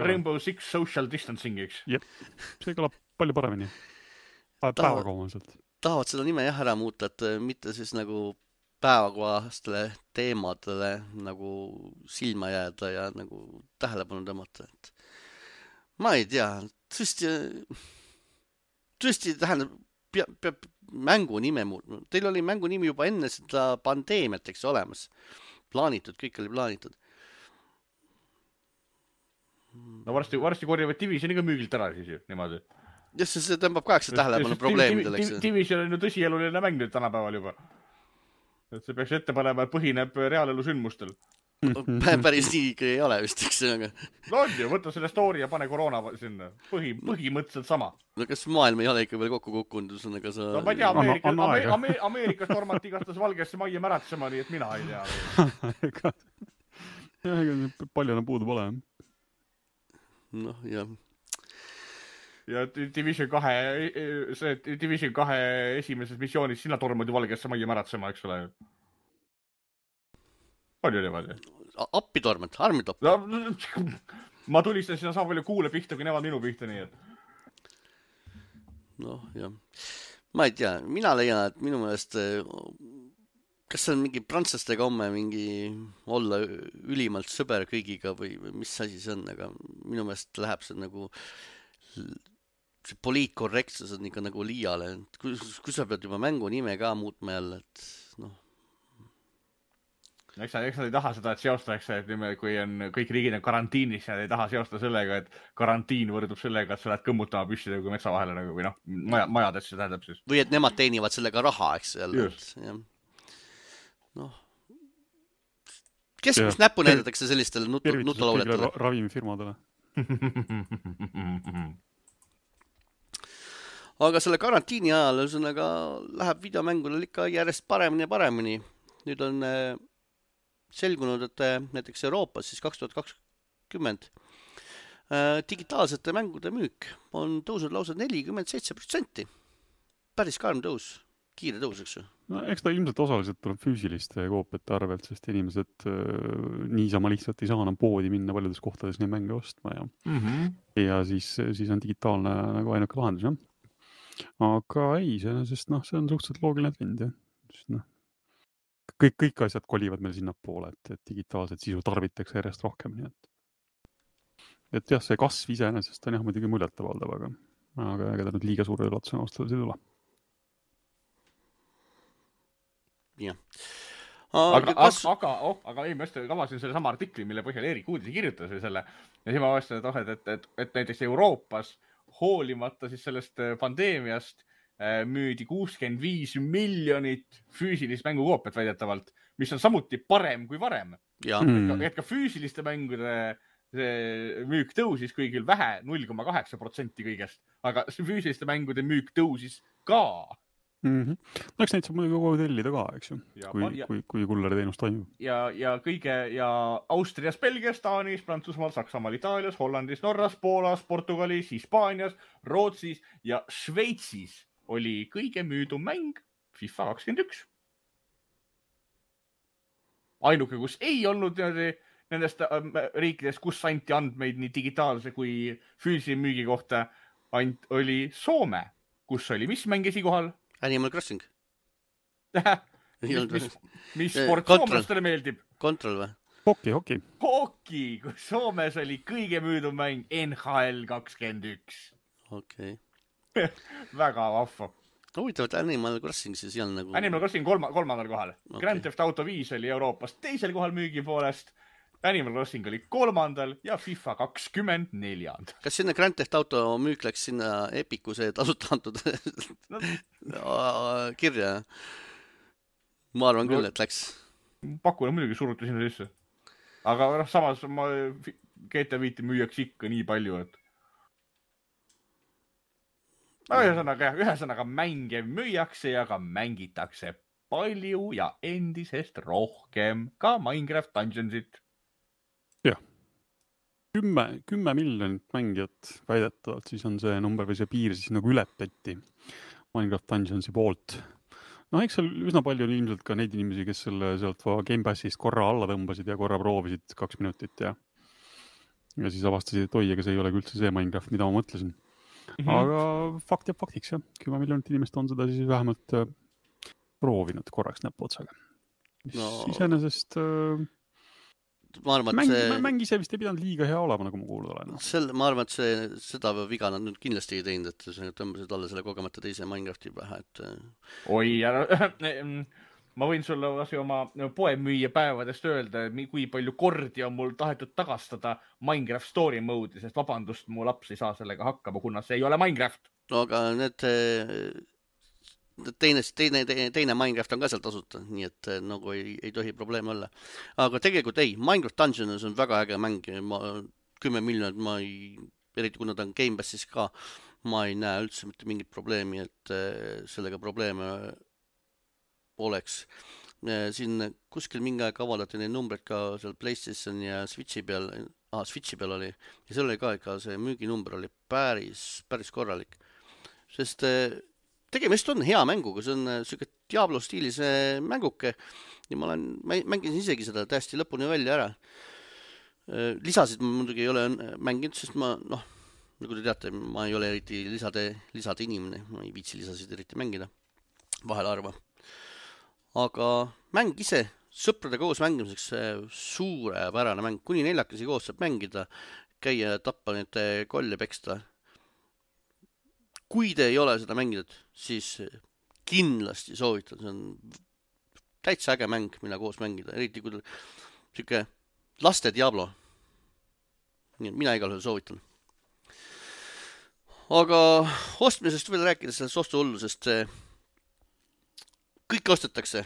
Rainbow Six Social Distancing, eks? Jep, see kõlab palju paremini. Päevakohaselt. Tahavad seda nime jah ära muuta, et mitte siis nagu päevakohastele teemadele nagu silma jääda ja nagu tähelepanu tõmmata. Ma ei tea, tõesti tähendab, peab mängu nime muutma. Teil oli mängu nimi juba enne seda pandeemiat, eks olemas. Plaanitud, kõik oli plaanitud. No varsti korjavad Divisioniga müügilt ära siis ju, niimoodi. Jah, see tõmbab kaheksa tähelepanu probleemidel, eks. Division on ju tõsieluline mäng nüüd tänapäeval juba. Et see peaks ette panema, et põhineb reaalelu sündmustel. päris nii ikka ei ole vist, eks aga... No on ju, võta selle story ja pane koroona sinna. Põhimõtteliselt sama. No kas maailm ei ole ikka veel kokku kukkunud, ühesõnaga sa... No ma ei tea, Ameerikas tormati igatahes valgesse majja märatsema, nii et mina ei tea. Palju enam puudu pole. Noh, jah. Ja Division 2 esimeses missioonis sina tormad ju valgesse majja märatsema, eks ole. Palju niimoodi? Appi tormad, armitopp. Ma tulistasin sinna sama palju kuule pihta, kui nemad minu pihta, nii et. Noh, jah. Ma ei tea, mina leian, et minu meelest kas see on mingi prantslastega homme mingi olla ülimalt sõber kõigiga või mis asi see on, aga minu meelest läheb see nagu see poliitkorrektsus on ikka nagu liiale. Kui sa pead juba mängu nime ka muutma jälle, et noh. Eks nad ei taha seda, et seostaks, et kui on kõik riigid on karantiinis, nad ei taha seosta sellega, et karantiin võrdub sellega, et sa lähed kõmmutama püssida kui metsa vahele nagu, või noh, majadesse tähendab siis. Või et nemad teenivad sellega raha, eks jälle. Noh. Kes kus näppu näidatakse sellistele nutulauletele? Ravimifirmadele. Aga selle karantiini ajal ühesõnaga läheb videomängudel ikka järjest paremini ja paremini. Nüüd on selgunud, et näiteks Euroopas siis 2020 digitaalsete mängude müük on tõusnud lausa 47%. Päris karm tõus, kiire tõus, eks ju? No, eks ta ilmselt osaliselt tuleb füüsiliste koopiate arvelt, sest inimesed niisama lihtsalt ei saa enam poodi minna paljudes kohtades neid mänge ostma ja siis on digitaalne nagu ainuke lahendus, jah. Aga ei, see on suhteliselt loogiline trend, jah. Kõik asjad kolivad meil sinna poole, et digitaalset sisu tarbitakse järjest rohkem, nii et jah, see kasv iseenesest on jah muidugi muljetavaldav, aga ega ta nüüd liiga suure üllatusena ostades ei tule. Jah. Aga ei, ma just kavasin selle sama artikli, mille põhjal Erik uudisi kirjutas või selle. Ja siis ma vastasin, et näiteks Euroopas hoolimata siis sellest pandeemiast müüdi 65 miljonit füüsilist mängukoopiat väidetavalt, mis on samuti parem kui varem. Et ka füüsiliste mängude müük tõusis kõigil vähe, 0,8% kõigest, aga füüsiliste mängude müük tõusis ka. No eks neid saab muidugi kogu tellida ka, eks ju, kui kullari teenus toimub. Ja Austrias, Belgias, Taanis, Prantsusmaal, Saksamaal, Itaalias, Hollandis, Norras, Poolas, Portugalis, Hispaanias, Rootsis ja Šveitsis oli kõige müüdum mäng FIFA 21. Ainuke, kus ei olnud nendest riikidest, kus anti andmeid nii digitaalse kui füüsilise müügi kohta, oli Soome, kus oli mis mäng esikohal? Animal Crossing. Mis sport soomlastele meeldib? Control või? Hoki. Hoki, kus Soomes oli kõige müüdum mäng NHL 21. Okei. Väga vahva. Huvitav, et Animal Crossing siis ei olnud nagu... Animal Crossing kolmandal kohal. Okay. Grand Theft Auto 5 oli Euroopas teisel kohal müügi poolest. Animal Crossing oli 3. ja FIFA 24. Kas sinna Grand Theft Auto müük läks sinna Epiku see tasuta antud kirja? Ma arvan küll, et läks. Pakuna muidugi suruti sinna sisse. Aga samas GTA 5 müüjaks ikka nii palju, et... Ühesõnaga mänge müüakse ja ka mängitakse palju ja endisest rohkem ka Minecraft Dungeonsit. Jah. 10 miljonit mängijat väidetavalt, siis on see number või see piir siis nagu ületati Minecraft Dungeonsi poolt. Eks seal üsna palju on ilmselt ka neid inimesi, kes selle sealt Game Passist korra alla tõmbasid ja korra proovisid 2 minutit ja siis avastasid, et oi, ega see ei ole üldse see Minecraft, mida ma mõtlesin. Aga fakt jääb faktiks, jah. 10 miljonit inimest on seda siis vähemalt proovinud korraks näpuotsaga. Iseenesest mäng ise vist ei pidanud liiga hea olema, nagu ma kuulnud olen. Ma arvan, et seda viga nad nüüd kindlasti ei teinud, et tõmbasid alla selle kogemata teise Minecrafti pähe. Oi, ma võin sulle oma poemüüja päevadest öelda, kui palju kordi on mul tahetud tagastada Minecraft Story mode'i, sest vabandust, mu laps ei saa sellega hakkama, kuna see ei ole Minecraft. No aga need teine Minecraft on ka seal tasuta, nii et nagu ei tohi probleeme olla. Aga tegelikult ei, Minecraft Dungeons on väga äge mäng, 10 miljonit ma ei, eriti kuna ta on Game Passis ka, ma ei näe üldse mitte mingit probleemi, et sellega probleeme oleks. Siin kuskil mingi aeg avaldati neid numbreid ka seal PlayStation ja Switchi peal oli ja seal oli ka ikka see müüginumber oli päris korralik, sest tegemist on hea mänguga, see on siuke Diablo stiilis mänguke ja ma mängisin isegi seda täiesti lõpuni välja ära. Lisasid ma muidugi ei ole mänginud, sest ma nagu te teate, ma ei ole eriti lisade inimene, ma ei viitsi lisasid eriti mängida, vahel harva. Aga mäng ise, sõprade koos mängimiseks suurepärane mäng, kuni 4 koos saab mängida, käia, tappa neid kolle, peksta. Kui te ei ole seda mänginud, siis kindlasti soovitan, see on täitsa äge mäng, mille koos mängida, eriti kui siuke laste Diablo. Mina igal juhul soovitan. Aga ostmisest veel rääkides, sellest ostuhullusest, kõike ostetakse,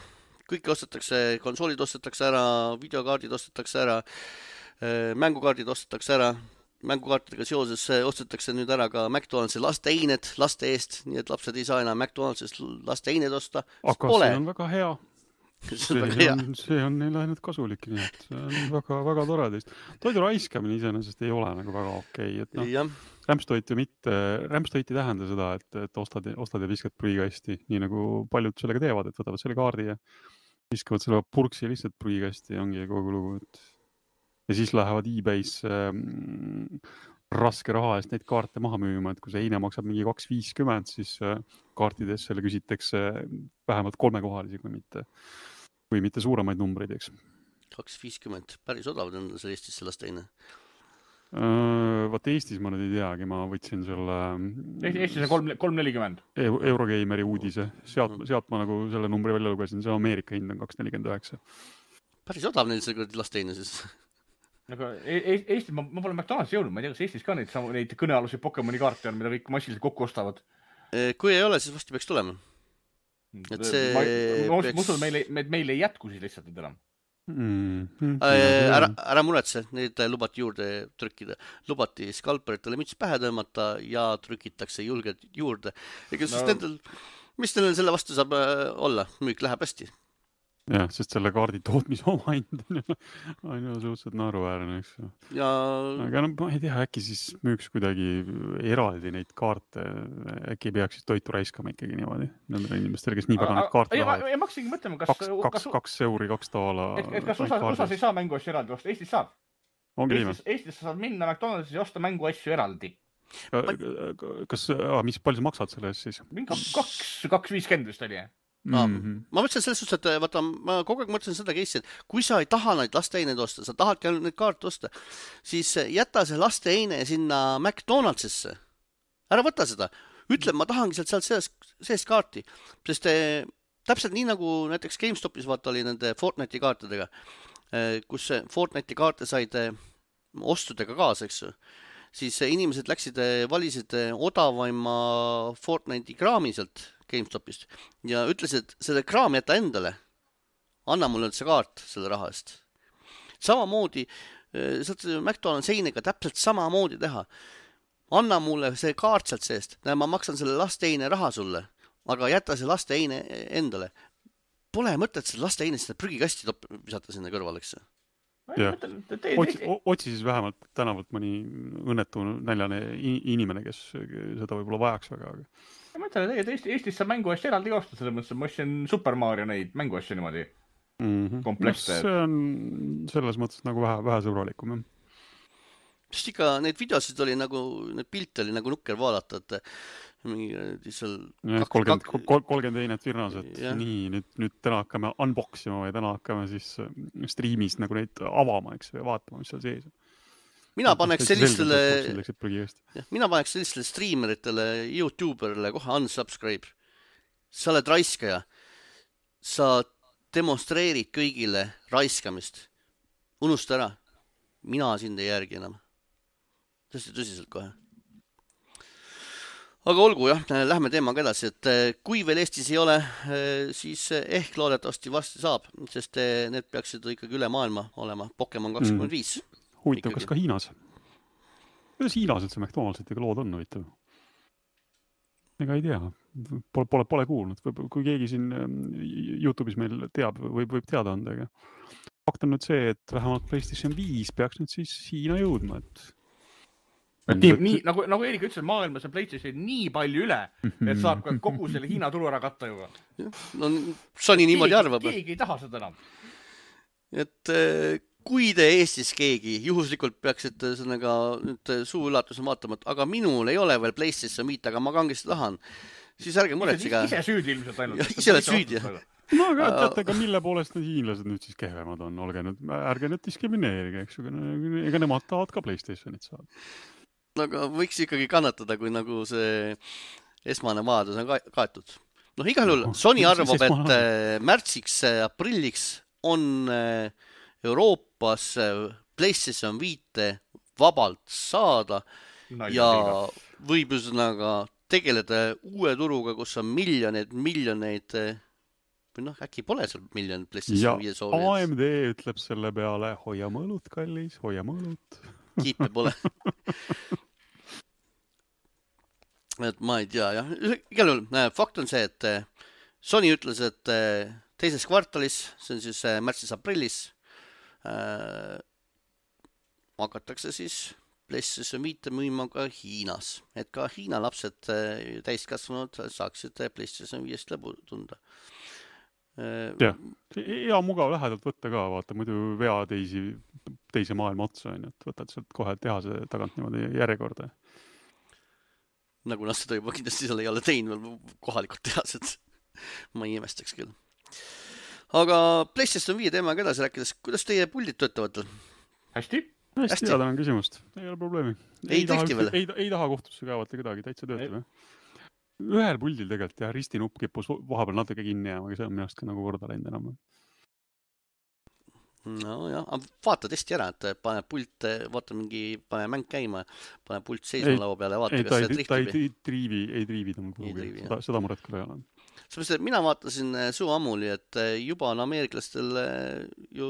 konsoolid ostetakse ära, videokaardid ostetakse ära, mängukaardid ostetakse ära, mängukaartidega seoses ostetakse nüüd ära ka McDonaldsi lasteined laste eest, nii et lapsed ei saa enam McDonaldsist lasteined osta. Aga see on väga hea. See on neil ainult kasulik, nii et see on väga tore teist. Toidu raiskamine iseenesest ei ole nagu väga okei, et rämpstoit ei tähenda seda, et ostad ja viskad prügikasti, nii nagu paljud sellega teevad, et võtavad selle kaardi ja viskavad selle purksi lihtsalt prügikasti ja ongi kogu lugu. Ja siis lähevad eBay's raske raha eest neid kaarte maha müüma, et kui see eine maksab mingi 2.50, siis kaartides selle küsitakse vähemalt 3-kohalisi, kui mitte suuremaid numbreid, eks. 2.50, päris odavad on seal Eestis sellest teine. Vaat Eestis ma nüüd ei teagi, ma võtsin selle Eestis on 3.40 Eurogeimeri uudise, sealt ma nagu selle numbri välja lugesin, see Ameerika hind on 2.49. Päris odav neil see lasteine siis. Aga Eestis, ma pole McDonald's jõudnud, ma ei tea, kas Eestis ka neid kõnealusi Pokemoni kaarte on, mida kõik massiliselt kokku ostavad. Kui ei ole, siis vasti peaks tulema. Et see ma usun, meil ei jätku siis lihtsalt enam. Ära muretse, neid lubati juurde trükkida. Lubati skalperitele müts pähe tõmmata ja trükitakse julgelt juurde. Ega siis mis teil selle vastu saab olla? Müük läheb hästi. Jah, sest selle kaardi tootmise oma hind on ju suhteliselt naeruväärne, eks. Aga ma ei tea, äkki siis müüks kuidagi eraldi neid kaarte, äkki peaks siis toitu raiskama ikkagi niimoodi nendele inimestele, kes nii väga neid kaarte tahavad. Ja ma hakkasingi mõtlema, kas 2 euri, 2 $. Et kas osas ei saa mänguasju eraldi osta? Eestis saab. Eestis saad minna McDonald's ja osta mänguasju eraldi. Mis palju sa maksad selle eest siis? 2.50 vist oli, Ma mõtlesin selles suhtes, et vaata, ma kogu aeg mõtlesin seda case'i, et kui sa ei taha neid lasteineid osta, sa tahadki ainult neid kaarte osta, siis jäta see lasteine sinna McDonaldsisse. Ära võta seda. Ütle, ma tahangi sealt seest kaarti, sest täpselt nii nagu näiteks GameStopis vaata oli nende Fortnite'i kaartidega, kus Fortnite'i kaarte said ostudega kaasa, eks ju. Siis inimesed valisid odavaima Fortnite'i kraami sealt GameStopist ja ütlesid, selle kraam jäta endale. Anna mulle see kaart selle raha eest. Samamoodi, saad McDonald's einega täpselt samamoodi teha. Anna mulle see kaart sealt seest. Ma maksan selle lasteine raha sulle, aga jäta see lasteine endale. Pole mõtet selle lasteine seda prügikasti visata sinna kõrval, eks. Otsi siis vähemalt tänavalt mõni õnnetu näljane inimene, kes seda võib-olla vajaks väga. Ma mõtlen, et Eestis saab mänguasju eraldi osta, selles mõttes, ma ostsin Super Mario neid mänguasju niimoodi komplekse. See on selles mõttes nagu vähe sõbralikum. Sest ikka neid videosid oli nagu, need pilte oli nagu nukker vaadata, et mingi seal 30 einet virnas, et nii, nüüd täna hakkame unboxima või täna hakkame siis streamis nagu neid avama, eks, või vaatama, mis seal sees on. Mina paneks sellistele streameritele, YouTuberile kohe unsubscribe. Sa oled raiskaja. Sa demonstreerid kõigile raiskamist. Unusta ära. Mina sind ei järgi enam. Tõesti tõsiselt kohe. aga olgu jah, lähme teemaga edasi, et kui veel Eestis ei ole, siis ehk loodetavasti varsti saab, sest need peaksid ikkagi üle maailma olema. Pokemon 25. Huvitav, kas ka Hiinas? Kuidas Hiinas üldse McDonald'sitega lood on, huvitav? Ega ei tea. Pole kuulnud. Kui keegi siin YouTube'is meil teab, võib teada anda. Aga fakt on nüüd see, et vähemalt PlayStation 5 peaks nüüd siis Hiina jõudma, nii, nagu Eerik ütles, maailmas on PlayStation nii palju üle, et saab ka kogu selle Hiina tulu ära katta juba. No Sony niimoodi arvab. Keegi ei taha seda enam. Et kui te Eestis keegi juhuslikult peaksite sõnaga nüüd suu üllatuse vaatama, aga minul ei ole veel PlayStation 5, aga ma kangesti tahan, siis ärge muretsega. Ise süüdi ilmselt ainult. Ise oled süüdi, jah. No aga teate, aga mille poolest need hiinlased nüüd siis kehvemad on? Ärge nüüd diskrimineerige, eks ju. Ega nemad tahavad ka PlayStationit saada. Aga võiks ikkagi kannatada, kui nagu see esmane vajadus on kaetud. Igal juhul Sony arvab, et märtsiks, aprilliks on Euroopas PlayStation 5 vabalt saada ja võib üsnaga tegeleda uue turuga, kus on miljoneid või äkki pole seal miljonid PlayStation 5 soovijad. Ja AMD ütleb selle peale, hoia mõõlut, kallis, hoia mõõlut. Kiipe pole. Et ma ei tea, jah. Igal juhul, fakt on see, et Sony ütles, et teises kvartalis, see on siis märtsis-aprillis, hakatakse siis PlayStation 5 müüma ka Hiinas. Et ka Hiina lapsed täiskasvanud saaksid PlayStation 5 lõbu tunda. Jah, hea mugav lähedalt võtta ka, vaata, muidu vea teise maailma otsa, et võtad sealt kohe tehase tagant niimoodi järjekorda. Nagu nad seda juba kindlasti seal ei ole teinud kohalikud tehased. Ma ei imestaks küll. Aga PlayStation 5 teemaga edasi rääkides, kuidas teie puldid töötavad? Hästi. Hästi, on küsimust. Ei ole probleemi. Ei taha kohtusse kaevata kedagi, täitsa töötab. Ühel puldil tegelikult ja ristinupp kippus vahepeal natuke kinni jääma, aga see on minu arust ka nagu korda läinud enam. No jah, vaata testi ära, et pane pult, vaata pane mäng käima, pane pult seisma laua peale ja vaata, kas see trihtib. Ei triivi ta mul puhugi, seda muret küll ei ole. Sellepärast, et mina vaatasin suu ammuli, et juba on ameeriklastel ju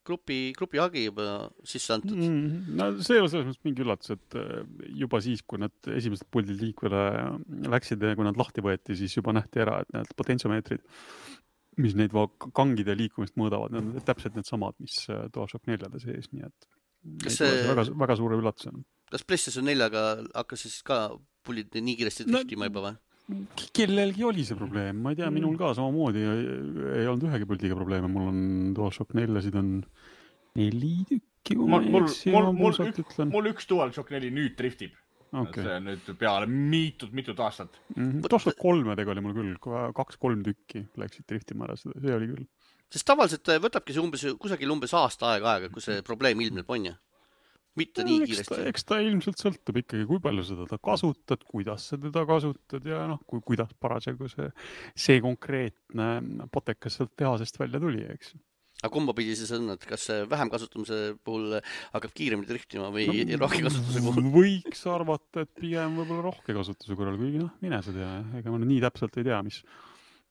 grupi hagi juba sisse antud. No see ei ole selles mõttes mingi üllatus, et juba siis, kui nad esimesed puldid liikvele läksid ja kui nad lahti võeti, siis juba nähti ära, et need potentsiomeetrid, mis neid kangide liikumist mõõdavad, need on täpselt need samad, mis DualShock 4 sees, nii et väga suure üllatusena. Kas PlayStation 4-ga hakkas siis ka pullid nii kiiresti trihtima juba või? Kellelgi oli see probleem, ma ei tea, minul ka samamoodi ei olnud ühegi puldiga probleeme, mul on DualShock 4-sid on 4 tükki, kui ma mul üks DualShock 4 nüüd driftib. Okay. See on nüüd peale mitut aastat. DualShock 3-dega oli mul küll, 2-3 tükki läksid driftima ära, see oli küll. Sest tavaliselt võtabki see kusagil umbes aasta aega, kui see probleem ilmneb on ja mitte nii kiiresti. Eks ta ilmselt sõltub ikkagi, kui palju seda kasutad, kuidas sa teda kasutad ja kuidas parasjagu see konkreetne potekas sealt tehasest välja tuli, eks. Aga kumba pidi siis on, et kas vähem kasutamise puhul hakkab kiiremini driftima või rohke kasutuse puhul? Võiks arvata, et pigem võib-olla rohke kasutuse korral, kuigi mine sa tea, ega ma nii täpselt ei tea,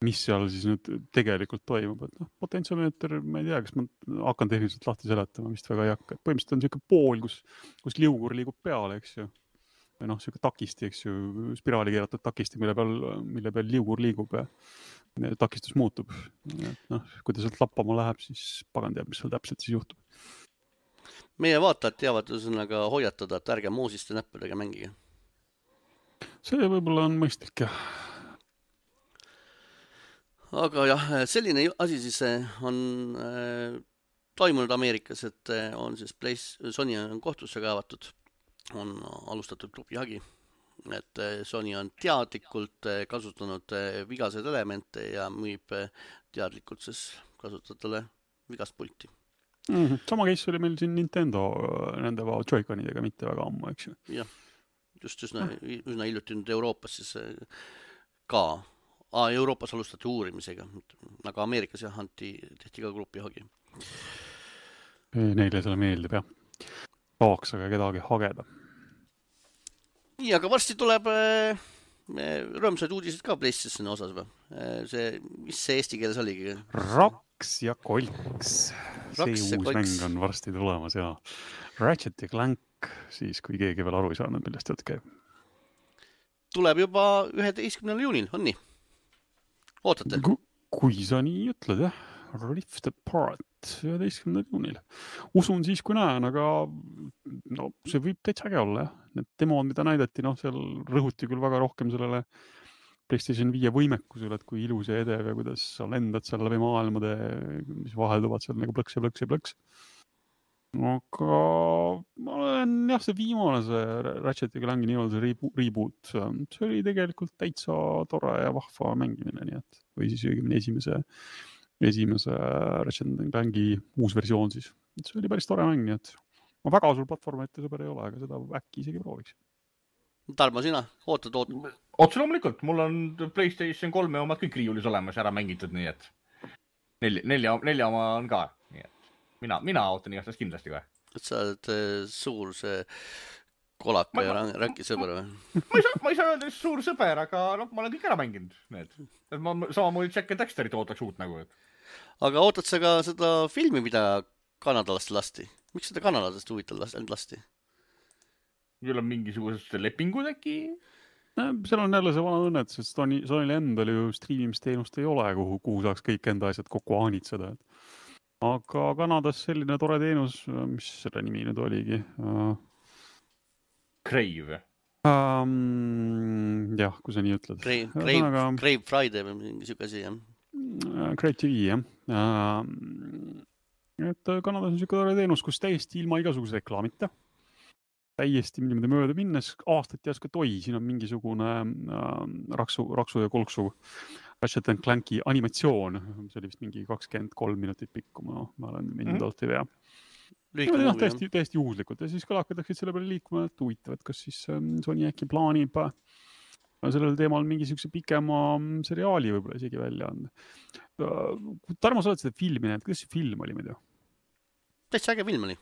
mis seal siis nüüd tegelikult toimub. Et potentsiomeeter, ma ei tea, kas ma hakkan tehniliselt lahti seletama, vist väga ei hakka. Põhimõtteliselt on selline pool, kus liugur liigub peale, eks ju. Või selline takisti, eks ju, spiraali keeratud takisti, mille peal liugur liigub ja takistus muutub. Kui ta sealt lappama läheb, siis pagan teab, mis seal täpselt siis juhtub. Meie vaatajad teavad üsnaga hoiatada, et ärge moosiste näppudega mängige. See võib-olla on mõistlik, jah. Aga jah, selline asi siis on toimunud Ameerikas, et on siis Sony on kohtusse kaevatud, on alustatud grupihagi. Et Sony on teadlikult kasutanud vigaseid elemente ja müüb teadlikult siis kasutajatele vigast pulti. Sama case oli meil siin Nintendo nende Joy-Conidega mitte väga ammu, eks ju? Jah, just üsna hiljuti nüüd Euroopas siis ka. Euroopas alustati uurimisega, aga Ameerikas jah, tehti ka grupihagi. Neile selle meeldib, jah. Tahaks aga kedagi hageda. Nii, aga varsti tuleb rõõmsaid uudised ka PlayStationi osas või? Mis see eesti keeles oligi? Raks ja kolks. See uus mäng on varsti tulemas ja Ratchet ja Clank, siis kui keegi veel aru ei saanud, millest jutt käib. Tuleb juba 11. juunil, on nii? Ootate? Kui sa nii ütled, jah. Rift Apart 11. juunil. Usun siis, kui näen, aga no, see võib täitsa äge olla, jah. Need demod, mida näidati, seal rõhuti küll väga rohkem sellele PlayStation 5 võimekusele, et kui ilus ja edev ja kuidas sa lendad seal läbi maailmade, mis vahelduvad seal nagu plõks ja plõks ja plõks. Aga ma olen, jah, see viimane, see Ratchet ja Clanki nii-öelda reboot, see oli tegelikult täitsa tore ja vahva mängimine, nii et, või siis õigemini esimese Ratchet ja Clanki uus versioon siis. See oli päris tore mäng, nii et ma väga sul platvormite sõber ei ole, aga seda äkki isegi prooviks. Tarmo, sina? Ootad? Otse loomulikult, mul on PlayStation 3 omad kõik riiulis olemas ära mängitud, nii et nelja oma on ka, nii et mina ootan igatahes kindlasti kohe. Et sa oled suur see kolaka ja räki sõber või? Ma ei saa öelda suur sõber, aga ma olen kõik ära mänginud need. Ma samamoodi Jack and Dexterit ootaks uut nagu. Aga ootad sa ka seda filmi, mida kanadalast lasti? Miks seda kanadalast huvitav lasti? Küll on mingisugused lepingud äkki? Seal on jälle see vana õnnetus, et Sonyl endal ju striimimisteenust ei ole, kuhu saaks kõik enda asjad kokku aanitseda. Aga Kanadas selline tore teenus, mis selle nimi nüüd oligi? Crave. Jah, kui sa nii ütled. Crave Friday või mingi siuke asi, jah? Crave TV, jah. Et Kanadas on siuke tore teenus, kus täiesti ilma igasuguse reklaamita. Täiesti niimoodi mööda minnes aastat järsku, et siin on mingisugune raksu ja kolksu Ratchet and Clanki animatsioon. See oli vist mingi 23 minutit pikku, ma olen mindalt ei vea. Täiesti juhuslikult ja siis ka hakkatakse selle peale liikuma, et huvitav, et kas siis Sony äkki plaanib sellel teemal mingisuguse pikema seriaali võib-olla isegi välja anda. Tarmo, sa oled seda filmi näinud, kuidas see film oli muidu? Täitsa äge film oli.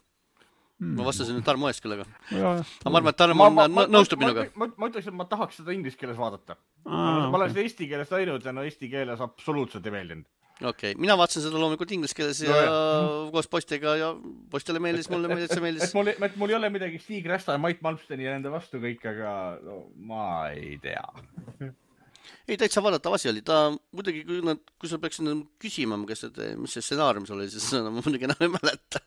Ma vastasin nüüd Tarmo ees küll, aga ma arvan, et Tarmo nõustub minuga. Ma ütleks, et ma tahaks seda inglise keeles vaadata. Ma olen seda eesti keeles näinud ja eesti keeles absoluutselt ei meeldinud. Okei, mina vaatasin seda loomulikult inglise keeles ja koos postiga ja postile meeldis, mulle meeldis. Et mul ei ole midagi Stig Rästa ja Mait Malmsteni ja nende vastu kõik, aga ma ei tea. Ei, täitsa vaadatav asi oli. Ta muidugi, kui sa peaksid küsima, mis see stsenaariumis oli, siis ma muidugi enam ei mäleta.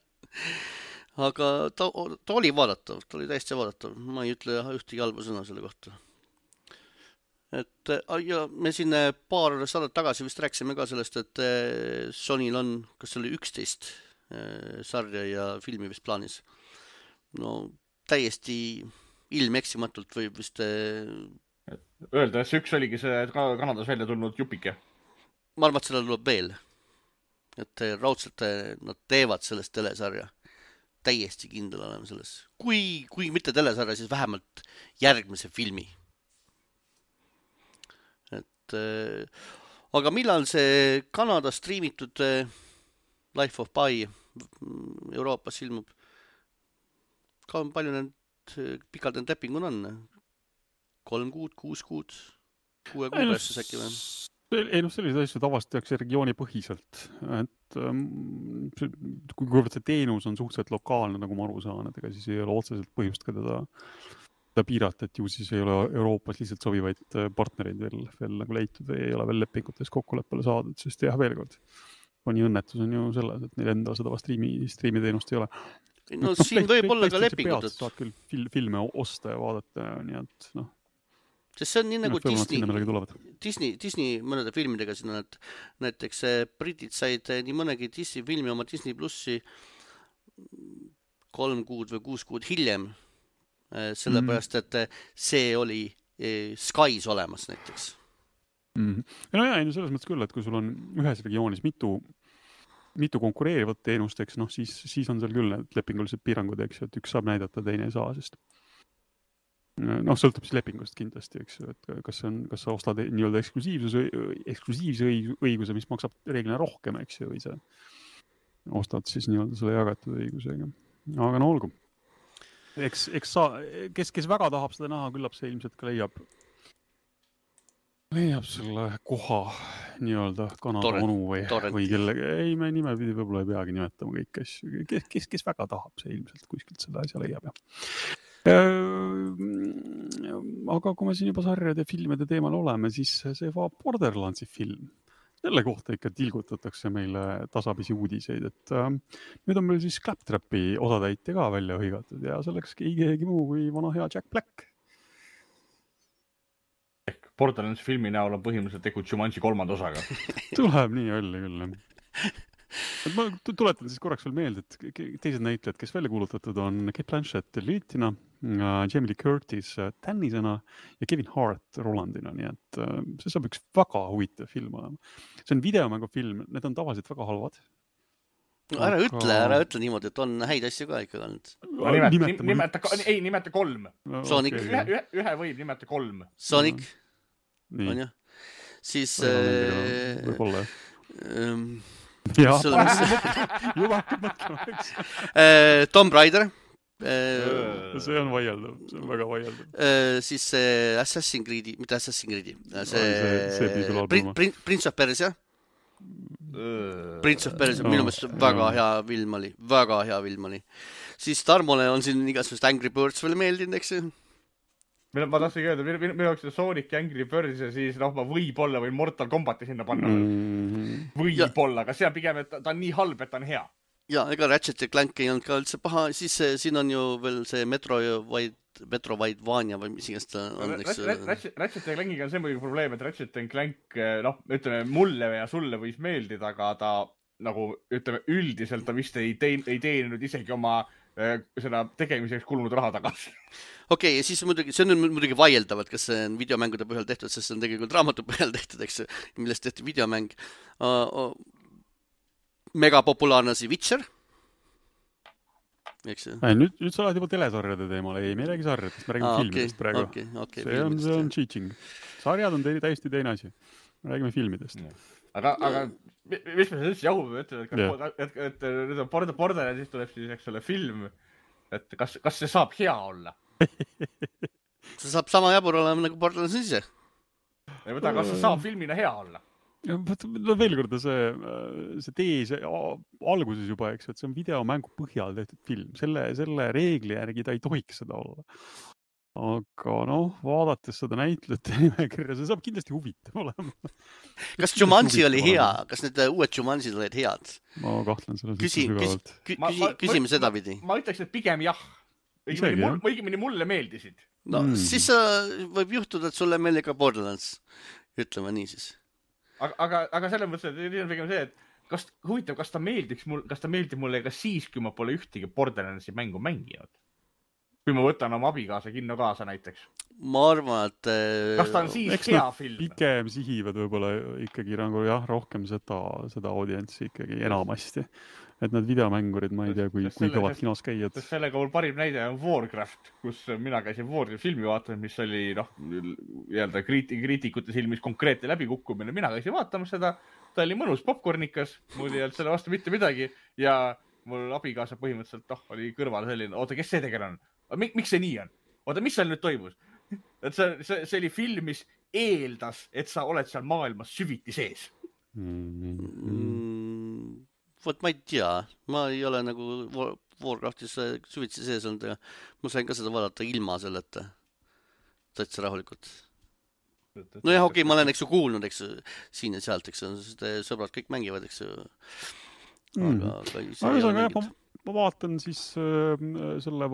Aga ta oli vaadatav, ta oli täiesti vaadatav. Ma ei ütle ühtegi halba sõna selle kohta. Ja me siin paar saadet tagasi vist rääkisime ka sellest, et Sonyl on, kas oli 11 sarja ja filmi vist plaanis. No täiesti ilmeksimatult võib vist öelda, et see üks oligi see Kanadas välja tulnud jupike. Ma arvan, et seda tuleb veel. Et raudselt nad teevad sellest telesarja. Täiesti kindel oleme selles. Kui mitte telesarja, siis vähemalt järgmise filmi. Aga millal see Kanada striimitud Life of Pi Euroopas ilmub? Palju need pikalt need lepingud on? 3 kuud, 6 kuud? 6 kuud päästes äkki või? Ei, sellised asjad avastatakse regiooni põhiselt, et kuivõrd see teenus on suhteliselt lokaalne, nagu ma aru saan, et ega siis ei ole otseselt põhjust ka teda piirata, et ju siis ei ole Euroopas lihtsalt sobivaid partnereid veel nagu leitud või ei ole veel lepingutes kokkuleppele saadud, sest jah, veel kord, Sony õnnetus on ju selles, et neil enda seda striimiteenust ei ole. No siin võib olla ka lepingud. Saad küll filme osta ja vaadata, nii et Sest see on nii nagu Disney mõnede filmidega siin on, et näiteks britid said nii mõnegi Disney filmi oma Disney Plussi 3 kuud või 6 kuud hiljem, sellepärast, et see oli Skys olemas näiteks. No jah, selles mõttes küll, et kui sul on ühes regioonis mitu konkureerivat teenust, eks, siis on seal küll need lepingulised piirangud, eks, et üks saab näidata, teine ei saa, sest sõltub siis lepingust kindlasti, eks, et kas sa ostad nii-öelda eksklusiivse õiguse, mis maksab reeglina rohkem, eks, või sa ostad siis nii-öelda selle jagatud õigusega. Aga no olgu. Eks kes väga tahab seda näha, küllap see ilmselt ka leiab leiab selle koha nii-öelda Kanada onu või kellegi, ei me nimepidi võib-olla ei peagi nimetama kõiki asju, kes väga tahab, see ilmselt kuskilt selle asja leiab. Aga kui me siin juba sarjade filmide teemal oleme, siis see Borderlandsi film, selle kohta ikka tilgutatakse meile tasapisi uudiseid, et nüüd on meil siis Claptrapi osatäitja ka välja hõigatud ja selleks keegi muu kui vana hea Jack Black. Ehk Borderlands filmi näol on põhimõtteliselt tegu Jumanji 3. osaga. Tuleb nii välja küll. Ma tuletan siis korraks veel meelde, et teised näitlejad, kes välja kuulutatud on Kate Blanchett Lilitina, Jamie Lee Curtis Tannisena ja Kevin Hart Rolandina, nii et see saab üks väga huvitav film olema. See on videomängu film, need on tavaliselt väga halvad. Ära ütle niimoodi, et on häid asju ka ikka olnud. Nimeta 3. Sonic. Ühe võib nimeta 3. Sonic. On ju? Siis... Võib-olla, jah. Juba hakkab mõtlema, eks. Tomb Raider. See on vaieldav, see on väga vaieldav. Siis Assassin's Creed'i, mitte Assassin's Creed'i. Prince of Persia. Prince of Persia, minu meelest väga hea film oli. Siis Tarmole on siin igasugust Angry Birds veel meeldinud, eks ju? Ma tahtsin öelda, minu jaoks Sonic ja Angry Birds ja siis ma võib-olla võin Mortal Kombati sinna panna. Võib-olla, aga see on pigem, et ta on nii halb, et ta on hea. Ja, ega Ratchet ja Clank ei olnud ka üldse paha. Siis siin on ju veel see Metroidvania või mis igast on. Ratchet ja Clankiga on see muidugi probleem, et Ratchet ja Clank, ütleme, mulle ja sulle võis meeldida, aga ta nagu, ütleme, üldiselt ta vist ei teeninud isegi oma seda tegemiseks kulunud raha tagasi. Okei, ja siis see on muidugi vaieldavad, kas see on videomängude põhjal tehtud, sest see on tegelikult raamatu põhjal tehtud, eks, millest tehti videomäng. Mega populaarne see Witcher. Eks see? Nüüd sa oled juba telesarjade teemal, ei, me ei räägi sarjadest, me räägime filmidest praegu. See on cheating. Sarjad on täiesti teine asi. Me räägime filmidest. Aga mis me üldse jahume ütleme, et nüüd on Borderlands, siis tuleb siis eks ole film, et kas see saab hea olla? See saab sama jabur olema nagu Borderlands ise. Kas see saab filmina hea olla? Veel kord see tees alguses juba, eks, et see on videomängu põhjal tehtud film. Selle reegli järgi ta ei tohiks seda olla. Aga vaadates seda näitlejate nimekirja, see saab kindlasti huvitav olema. Kas Jumanji oli hea? Kas need uued Jumanjid olid head? Ma kahtlen selles sügavalt. Küsime seda pidi. Ma ütleks, et pigem jah. Õigemini mulle meeldisid. Siis võib juhtuda, et sulle meeldib ka Borderlands. Ütleme nii siis. Aga selles mõttes, et on pigem see, et huvitav, kas ta meeldib mulle ka siis, kui ma pole ühtegi Borderlandsi mängu mänginud. Kui ma võtan oma abikaasa kinno kaasa näiteks. Ma arvan, et... Kas ta on siis hea film? Pikem sihivad võib-olla ikkagi nagu rohkem seda audientsi ikkagi enamasti. Et need videomängurid, ma ei tea, kui kõvad kinos käiad. Sellega mul parim näide on Warcraft, kus mina käisin Warcraft filmi vaatamas, mis oli kriitikute silmis konkreetne läbikukkumine. Mina käisin vaatamas seda, ta oli mõnus popcornikas, mul ei olnud selle vastu mitte midagi ja mul abikaasa põhimõtteliselt oli kõrval selline, oota, kes see tegelane on? Miks see nii on? Oota, mis seal nüüd toimus? Et see oli film, mis eeldas, et sa oled seal maailmas süviti sees. Vot ma ei tea. Ma ei ole nagu Warcraftis süvitsi sees olnud. Ma sain ka seda vaadata ilma selleta. Täitsa rahulikult. No jah, okei, ma olen kuulnud, siin ja sealt, sõbrad kõik mängivad, aga ma vaatan siis selle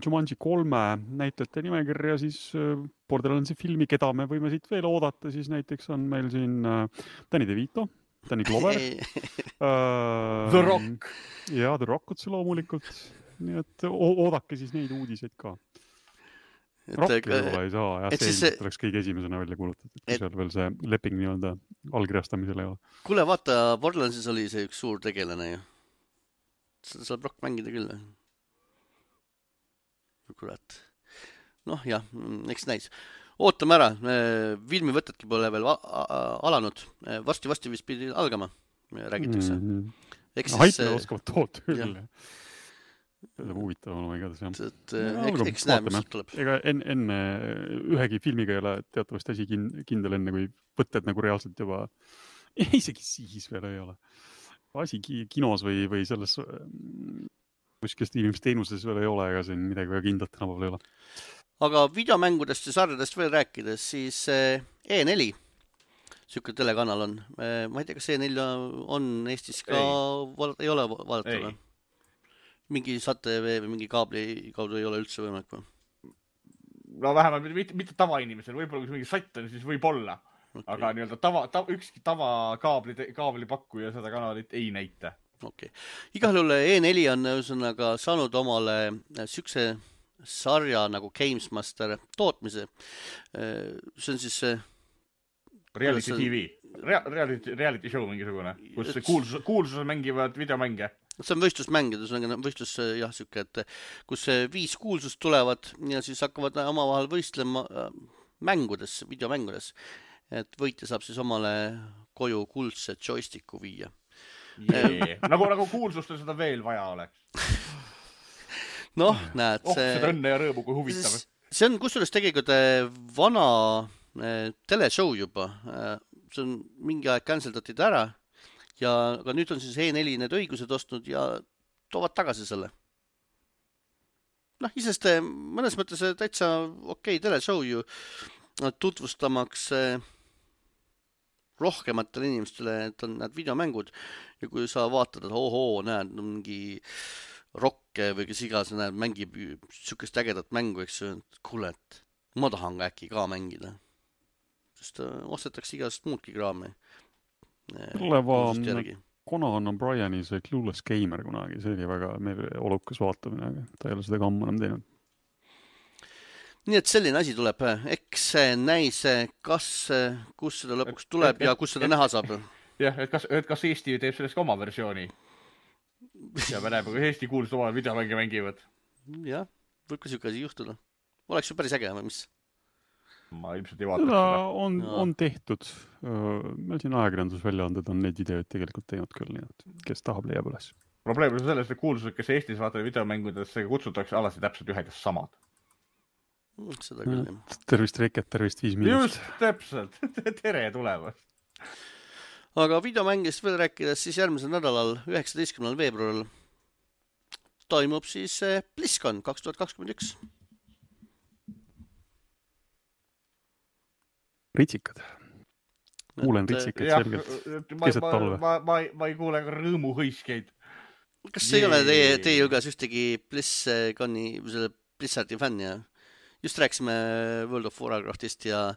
Jumanji 3 näitlejate nimekirja siis Borderlandsi filmi, keda me võime siit veel oodata, siis näiteks on meil siin Danny DeVito, Danny Glover, The Rock ja The Rock otse loomulikult, nii et oodake siis neid uudiseid ka. Rock ei saa, ja see oleks kõige esimesena välja kuulutatud, kui seal veel see leping nii-öelda allkirjastamisel ei ole. Kuule, vaata, Borderlandsis oli see üks suur tegelane ju. Seda saab Rock mängida küll. Kurat. Jah, eks näis. Ootame ära. Filmivõtetki pole veel alanud. Varsti vist pidi algama, räägitakse. Haipile oskavad toota küll. see on huvitav olema igatahes jah. Eks näe, mis sealt tuleb. Ega enne ühegi filmiga ei ole teatavasti asi kindel enne, kui võtted nagu reaalselt juba, isegi siis veel ei ole. Asi kinos või selles kuskil streamimisteenuses veel ei ole, ega siin midagi väga kindlat tänapäeval ei ole. Aga videomängudest ja sarjadest veel rääkides, siis E4, siuke telekanal on. Ma ei tea, kas E4 on Eestis ka, ei ole vaadatud. Mingi SAT-TV või mingi kaabli kaudu ei ole üldse võimalik või? No vähemalt mitte tavainimesel, võib-olla kui mingi satt on, siis võib olla. Okay. Aga nii-öelda ükski tava kaablipakkuja seda kanalit ei näita. Okay. Igal juhul E4 on ühesõnaga saanud omale sükse sarja nagu Gamesmaster tootmise. See on siis Reality TV. Reality show mingisugune, kus kuulsused mängivad videomänge. See on võistlusmängid, võistlus jah, siuke, et kus 5 kuulsust tulevad ja siis hakkavad omavahel võistlema mängudes, videomängudes. Et võitja saab siis omale koju kuldse joysticku viia. Nagu kuulsustel seda veel vaja oleks. Noh, näed. Seda õnne ja rõõmu, kui huvitav. See on kusjuures tegelikult vana teleshow juba. See on mingi aeg canceldatud ära. Aga nüüd on siis E4 need õigused ostnud ja toovad tagasi selle. Noh, isest mõnes mõttes täitsa okei teleshow ju tutvustamaks rohkematele inimestele, et on need videomängud ja kui sa vaatad, et näed mingi rokke või kes igas näed, mängib sükest ägedat mängu, eks ju, et kuule, et ma tahan äkki ka mängida. Sest ostetakse igast muudki kraami. Conan O'Brieni see Clueless Gamer kunagi, see oli väga olukas vaatamine, aga ta ei ole seda ka ammu enam teinud. Nii et selline asi tuleb. Eks näis, kus seda lõpuks tuleb ja kus seda näha saab. Jah, et kas Eesti teeb sellest ka oma versiooni? Ja me näeme, kui Eesti kuulsud oma videomänge mängivad. Jah, võib ka siuke asi juhtuda. Oleks ju päris äge, või mis? Ma ilmselt ei vaataks seda. On tehtud. Meil siin ajakirjandusväljaanded on neid videoid tegelikult teinud küll, nii et kes tahab leiab üles. Probleem on selles, et kuulsused, kes Eestis vaatavad videomängudesse, kutsutakse alati täpselt ühed ja samad. Seda küll, jah. Tervist Reket, tervist 5 miinust. Just, täpselt. Tere tulemast. Aga videomängist veel rääkides, siis järgmisel nädalal, 19. veebruaril toimub siis BlizzCon 2021. Ritsikad. Kuulen ritsikad selgelt. Keset talve. Ma ei kuule ka rõõmuhõiskeid. Kas ei ole teie hulgas ühtegi Blizzardi fänni? Just rääkisime World of Warcraftist ja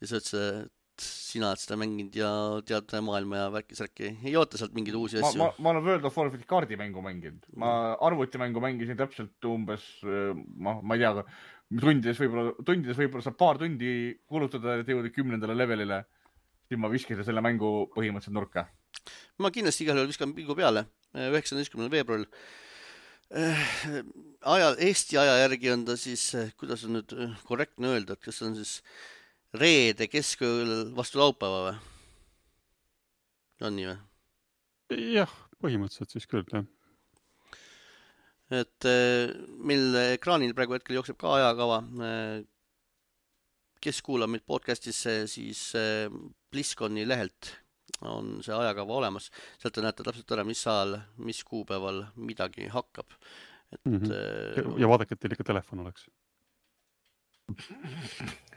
sa ütlesid, et sina oled seda mänginud ja tead maailma ja värki-särki. Ei oota sealt mingeid uusi asju? Ma olen World of Warcrafti kaardimängu mänginud. Ma arvutimängu mängisin täpselt umbes, ma ei tea, tundides võib-olla saab paar tundi kulutada, et jõuda 10. levelile. Siis ma viskasin selle mängu põhimõtteliselt nurka. Ma kindlasti igal juhul viskan pilgu peale 19. veebruaril. Eesti aja järgi on ta siis, kuidas on nüüd korrektne öelda, et kas on siis reede keskööl vastu laupäeva või? On nii või? Jah, põhimõtteliselt siis küll, jah. Et meil ekraanil praegu hetkel jookseb ka ajakava. Kes kuulab meid podcastis, siis BlizzConi lehelt on see ajakava olemas. Sealt te näete täpselt ära, mis ajal, mis kuupäeval midagi hakkab. Ja vaadake, et teil ikka telefon oleks.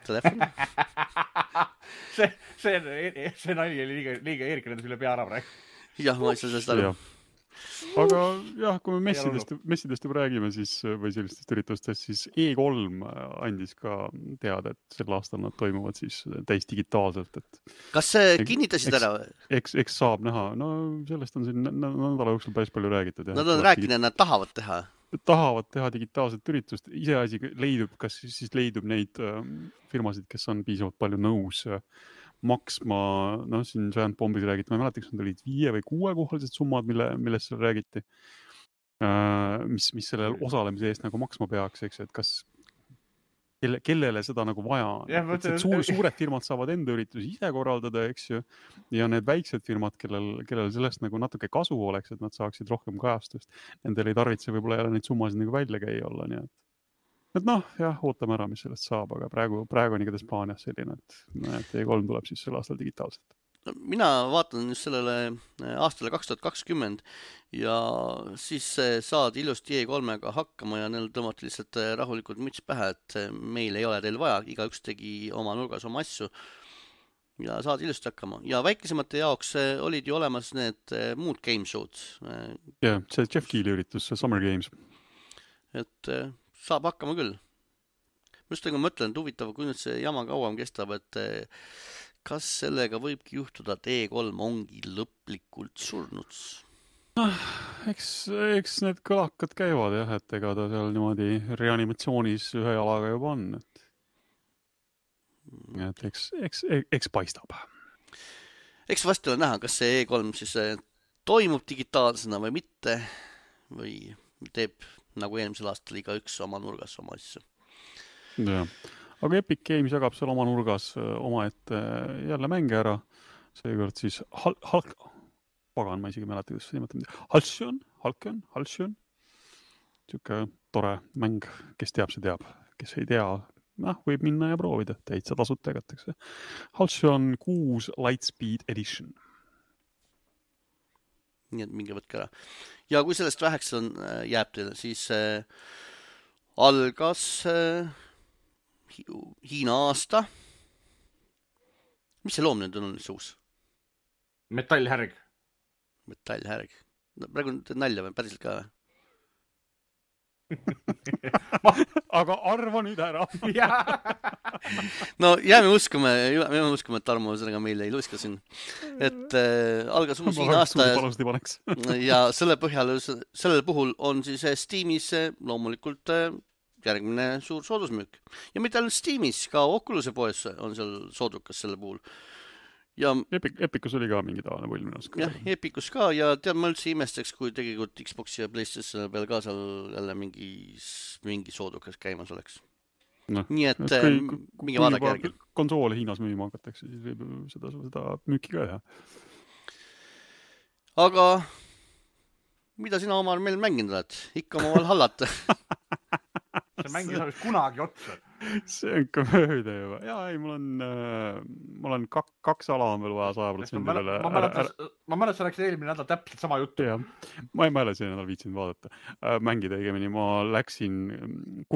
Telefon? see nali oli liiga Eerikene üle pea ära praegu. Jah, ma ei saa sellest aru. Aga jah, kui me messidest juba räägime siis, või sellistest üritustest, siis E3 andis ka teada, et sel aastal nad toimuvad siis täis digitaalselt. Kas kinnitasid ära? Eks saab näha. No sellest on siin nädala jooksul päris palju räägitud. Nad on rääkinud, et nad tahavad teha. Tahavad teha digitaalset üritust. Iseasi leidub, kas siis leidub neid firmasid, kes on piisavalt palju nõus maksma, siin Giant Bombis räägiti, ma ei mäleta, kas need olid 5 või 6 kohalised summad, millest seal räägiti, mis sellel osalemise eest nagu maksma peaks, eks, et kas kellele seda nagu vaja on. Jah, Suured firmad saavad enda üritusi ise korraldada, eks ju, ja need väiksed firmad, kellel sellest nagu natuke kasu oleks, et nad saaksid rohkem kajastust, nendel ei tarvitse võib-olla jälle neid summasid nagu välja käia olla, nii et noh, jah, ootame ära, mis sellest saab, aga praegu on igatahes plaan jah selline, et E3 tuleb siis sel aastal digitaalselt. Mina vaatan just sellele aastale 2020 ja siis saad ilusti E3-ga hakkama ja neil tõmmati lihtsalt rahulikult müts pähe, et meil ei ole teil vaja, igaüks tegi oma nurgas oma asju ja saad ilusti hakkama. Ja väikesemate jaoks olid ju olemas need muud game show'd. Jah, see Jeff Keely üritus, see Summer Games. Et saab hakkama küll. Just nagu mõtlen, et huvitav, kui nüüd see jama kauem kestab, et kas sellega võibki juhtuda, et E3 ongi lõplikult surnud? Eks need kõlakad käivad jah, et ega ta seal niimoodi reanimatsioonis ühe jalaga juba on. Et eks paistab. Eks vasti ole näha, kas see E3 siis toimub digitaalsena või mitte või teeb nagu eelmisel aastal igaüks oma nurgas oma asju. Jah. Aga Epic Games jagab seal oma nurgas omaette jälle mänge ära. Seekord siis pagan, ma isegi mäleta, kuidas see nimetamine. Halcyon. Siuke tore mäng, kes teab, see teab. Kes ei tea, võib minna ja proovida. Täitsa tasud tegatakse. Halcyon 6 Lightspeed Edition. Nii et minge võtke ära. Ja kui sellest väheks jääb teile, siis algas Hiina aasta. Mis see loom nüüd on see uus? Metallhärg. Metallhärg. Praegu teed nalja või päriselt ka? Aga arva nüüd ära. No jääme uskuma, et Tarmo sellega meile ei luiska siin. Et algas uus Hiina aasta ja sellel puhul on siis Steamis loomulikult järgmine suur soodusmüük. Ja mitte ainult Steamis, ka Oculus'e poes on seal soodukas selle puhul. Ja Epicus oli ka mingi tavaline pull minu arust. Jah, Epicus ka ja tead, ma üldse imestaks, kui tegelikult Xbox ja PlayStation peal ka seal jälle mingi soodukas käimas oleks. Nii et mingi vaadake järgi. Konsoole Hiinas müüma hakatakse, siis võib seda müüki ka teha. Aga mida sina Omar meil mänginud oled? Ikka oma Valhallat. See mäng ei saa kunagi otsa. See on ka mööda juba. Jaa, ei, mul on 2 ala on veel vaja 100% üle. Ma mäletasin, läks eelmine nädal täpselt sama juttu. Jah, ma ei mäleta see nädal viitsinud vaadata. Mängida õigemini, ma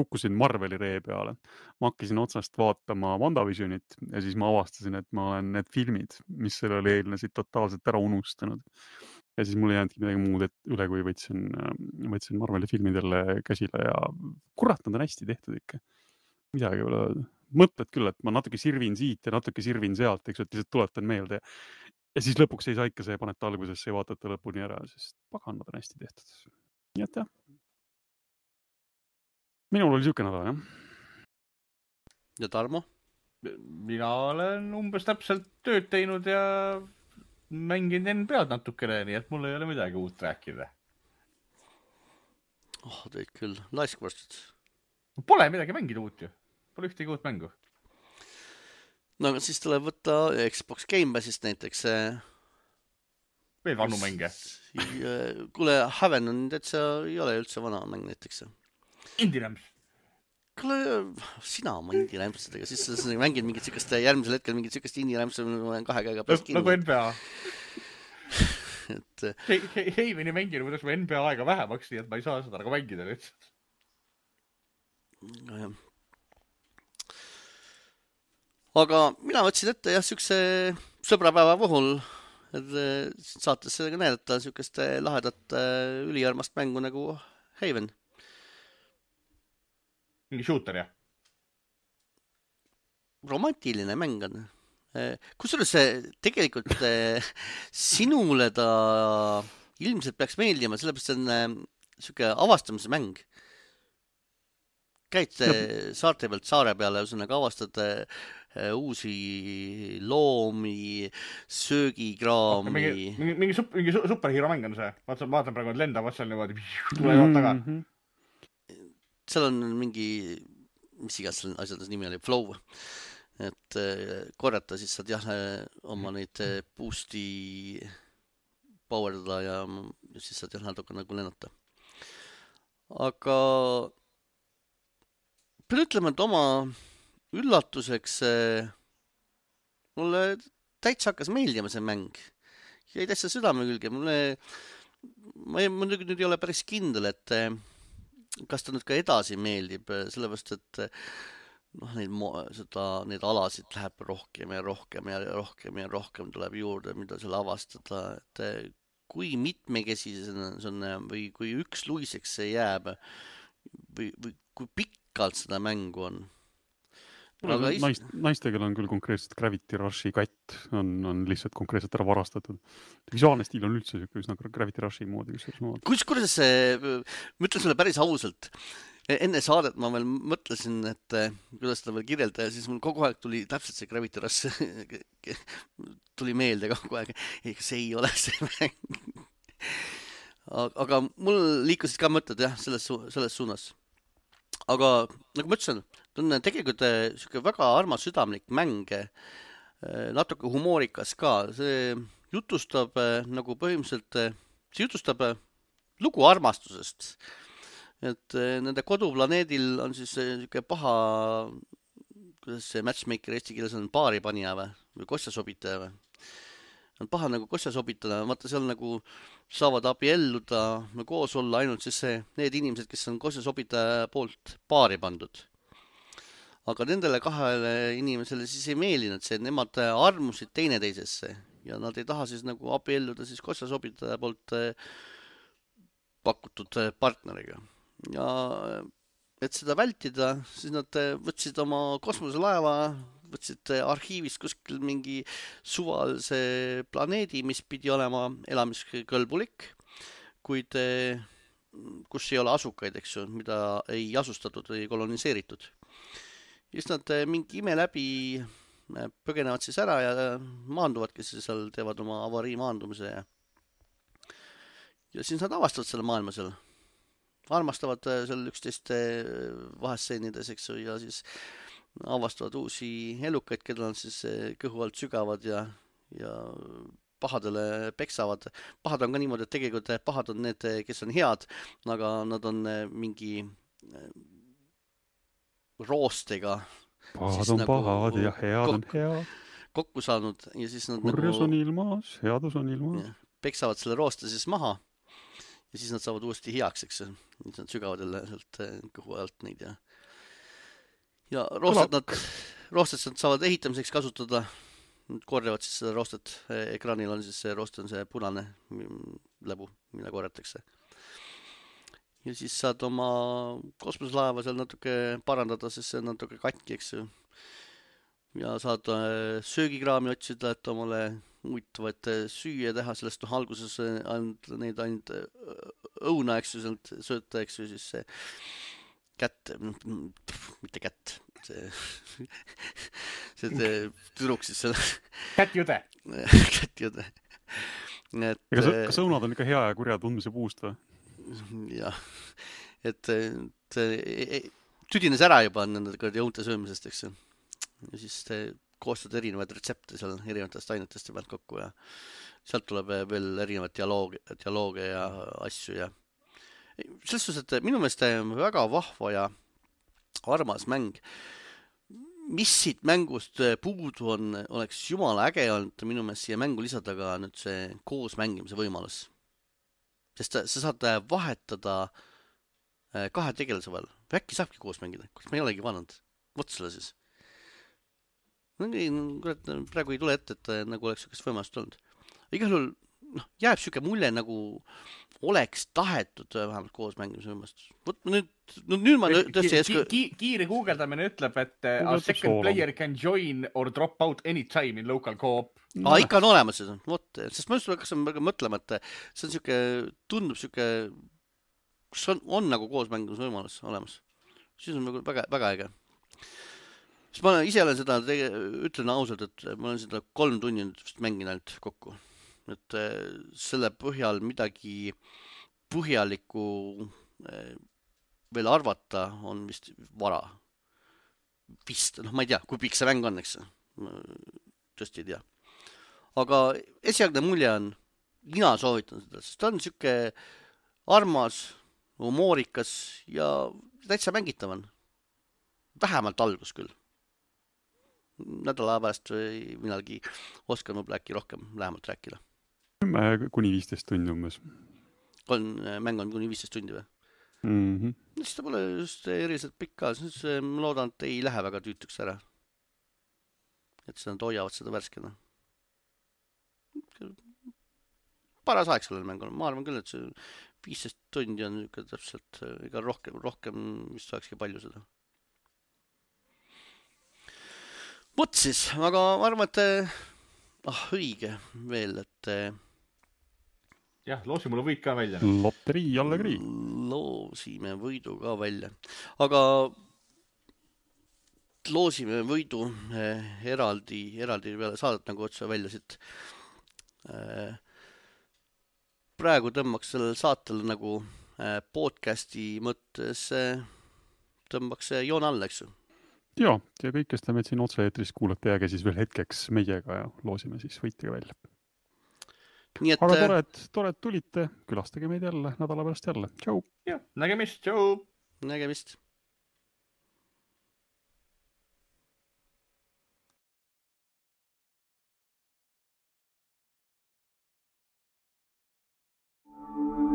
kukkusin Marveli ree peale. Ma hakkasin otsast vaatama WandaVisionit ja siis ma avastasin, et ma olen need filmid, mis sellele eelnesid totaalselt ära unustanud. Ja siis mul ei jäänudki midagi muud üle, kui võtsin Marveli filmid jälle käsile ja kurat, nad on hästi tehtud ikka. Midagi ei ole öelda. Mõtled küll, et ma natuke sirvin siit ja natuke sirvin sealt, eks lihtsalt tuletan meelde. Ja siis lõpuks ei saa ikka see paneta algusesse ja vaatata lõpuni ära, sest pagan, nad on hästi tehtud. Nii et jah. Minul oli siuke nädal, jah. Ja Tarmo? Mina olen umbes täpselt tööd teinud ja mängin NBA-d natukene, nii et mul ei ole midagi uut rääkida. Teid küll. Laiskvastid. Pole midagi mängida uut ju. Pole ühtegi uut mängu. No aga siis tuleb võtta Xbox Game Passist näiteks. Veel vanu mänge. Kuule, Haven on täitsa ei ole üldse vana mäng näiteks. Indie Rams. Kuule, sina oma Indie Ramsidega, siis mängid mingit sükest, järgmisel hetkel mingit sükest Indie Rams on 2 käega pärast kinni. Nagu NBA. Heimini mänginu, kuidas ma NBA aega vähemaks, nii et ma ei saa seda nagu mängida lihtsalt. Aga mina võtsin ette jah, sükse sõbrapäeva puhul, et saates sellega näidata sükest lahedat üliarmast mängu nagu Haven. Mingi shooter, jah? Romantiline mäng on. Kusjuures tegelikult sinule ta ilmselt peaks meeldima, sellepärast on siuke avastamise mäng. Käid saarte pealt saare peale, ühesõnaga avastad uusi loomi, söögikraami. Mingi superhero mäng on see. Vaatan praegu, et lendavad seal niimoodi, tulevad taga. Seal on mingi mis iganes selle asjades nimi oli, Flow, et korjata, siis saad jah oma neid boost'i powerdada ja siis saad jah natuke nagu lennata. Aga pean ütlema, et oma üllatuseks mulle täitsa hakkas meeldima see mäng. Jäi täitsa südame külge. Ma muidugi nüüd ei ole päris kindel, et kas ta nüüd ka edasi meeldib, sellepärast et neid alasid läheb rohkem ja rohkem ja rohkem ja rohkem tuleb juurde, mida seal avastada, et kui mitmekesisena see on või kui üksluiseks see jääb või kui pikalt seda mängu on. Naistegel on küll konkreetselt Gravity Rushi katt, on lihtsalt konkreetselt ära varastatud. Visuaalne stiil on üldse üsna Gravity Rushi moodi. Kuidas ma ütlen sulle päris ausalt, enne saadet ma veel mõtlesin, et kuidas seda veel kirjelda ja siis mul kogu aeg tuli täpselt see Gravity Rush tuli meelde kogu aeg. See ei ole see mäng. Aga mul liikusid ka mõtted jah, selles suunas. Aga nagu ma ütlesin, ta on tegelikult siuke väga armas südamlik mäng, natuke humoorikas ka. See jutustab nagu põhimõtteliselt, see jutustab lugu armastusest. Et nende koduplaneedil on siis siuke paha, kuidas see matchmaker eesti keeles on, paaripanija või kosjasobitaja või? On paha nagu kosja sobitada, vaata seal nagu saavad abielluda või koos olla ainult siis need inimesed, kes on kosja sobitaja poolt paari pandud. Aga nendele kahele inimesele siis ei meelinud see, et nemad armusid teineteisesse ja nad ei taha siis nagu abielluda siis kosja sobitaja poolt pakutud partneriga. Ja et seda vältida, siis nad võtsid oma kosmoselaeva, võtsid arhiivist kuskil mingi suvalise planeedi, mis pidi olema elamiskõlbulik, kuid kus ei ole asukaid, eks ju, mida ei asustatud või koloniseeritud. Just nad mingi ime läbi põgenevad siis ära ja maanduvadki siis seal, teevad oma avarii maandumise ja siis nad avastavad selle maailma seal. Armastavad seal üksteist vahestseenides, eks ju, ja siis avastavad uusi elukaid, keda on siis kõhu alt sügavad ja pahadele peksavad. Pahad on ka niimoodi, et tegelikult pahad on need, kes on head, aga nad on mingi roostega. Pahad on nagu pahad ja head on head. Kokku saanud ja siis nad kurjus on ilmas, headus on ilmas. Peksavad selle rooste siis maha ja siis nad saavad uuesti heaks, eks. Siis nad sügavad jälle sealt kõhu alt neid ja roosted nad saavad ehitamiseks kasutada. Nad korjavad siis seda roostet. Ekraanil on siis see roost on see punane läbu, mille korjatakse. Ja siis saad oma kosmoselaeva seal natuke parandada, sest see on natuke katki, eks. Ja saad söögikraami otsida, et omale huvitavaid süüa teha, sellest alguses neid ainult õuna, eks ju, sealt sööta, eks ju, siis see kätt, mitte kätt, see tüdruk siis selle kättjude. Kättjude. Kas õunad on ikka hea ja kurja tundmise puust või? Jah, et tüdines ära juba nende õunte söömisest, eks ju. Ja siis koostad erinevaid retsepte seal erinevatest ainetest ja pealt kokku ja sealt tuleb veel erinevaid dialooge ja asju ja selles suhtes, et minu meelest väga vahva ja armas mäng. Mis siit mängust puudu on, oleks jumala äge olnud minu meelest siia mängu lisada ka nüüd see koos mängimise võimalus. Sest sa saad vahetada kahe tegelase vahel. Või äkki saabki koos mängida, kus ma ei olegi vannud. Vot selle siis. Praegu ei tule ette, et nagu oleks sükest võimalust olnud. Igal juhul jääb süke mulje nagu oleks tahetud vähemalt koos mängimise võimalust. Vot nüüd ma tõesti kiire guugeldamine ütleb, et a second player can join or drop out anytime in local co-op. Ikka on olemas seda. Vot, sest ma just hakkasin mõtlema, et see on süke, tundub süke, kus on nagu koos mängimise võimalus olemas. Siis on väga, väga äge. Siis ma ise olen seda, ütlen ausalt, et ma olen seda 3 tunni mänginud kokku. Et selle põhjal midagi põhjalikku veel arvata on vist vara. vist, noh, ma ei tea, kui pikk see mäng on, eks. Tõesti ei tea. Aga esialgne mulje on, mina soovitan seda, sest ta on siuke armas, humoorikas ja täitsa mängitav on. Vähemalt algus küll. Nädala pärast või millalgi oskan võib äkki rohkem lähemalt rääkida. 10–15 tundi umbes. Mäng on kuni 15 tundi või? Siis ta pole just eriliselt pikk ka, siis ma loodan, et ei lähe väga tüütuks ära. Et nad hoiavad seda värskena. Paras aeg sellel mängul, ma arvan küll, et see 15 tundi on täpselt, ega rohkem vist olekski palju seda. Vot siis, aga ma arvan, et õige veel, et jah, loosi mulle võit ka välja. Loterii jällegi. Loosime võidu ka välja. Aga loosime võidu eraldi peale saadet nagu otse välja siit. Praegu tõmbaks sellel saatel nagu podcasti mõttes tõmbaks joon alla, eks ju. Ja kõik, kes te meid siin otse-eetris kuulate, jääge siis veel hetkeks meiega ja loosime siis võitega välja. Nii et, aga tore, et tulite, külastage meid jälle nädala pärast jälle. Tšau! Ja, nägemist, tšau! Nägemist! Thank you.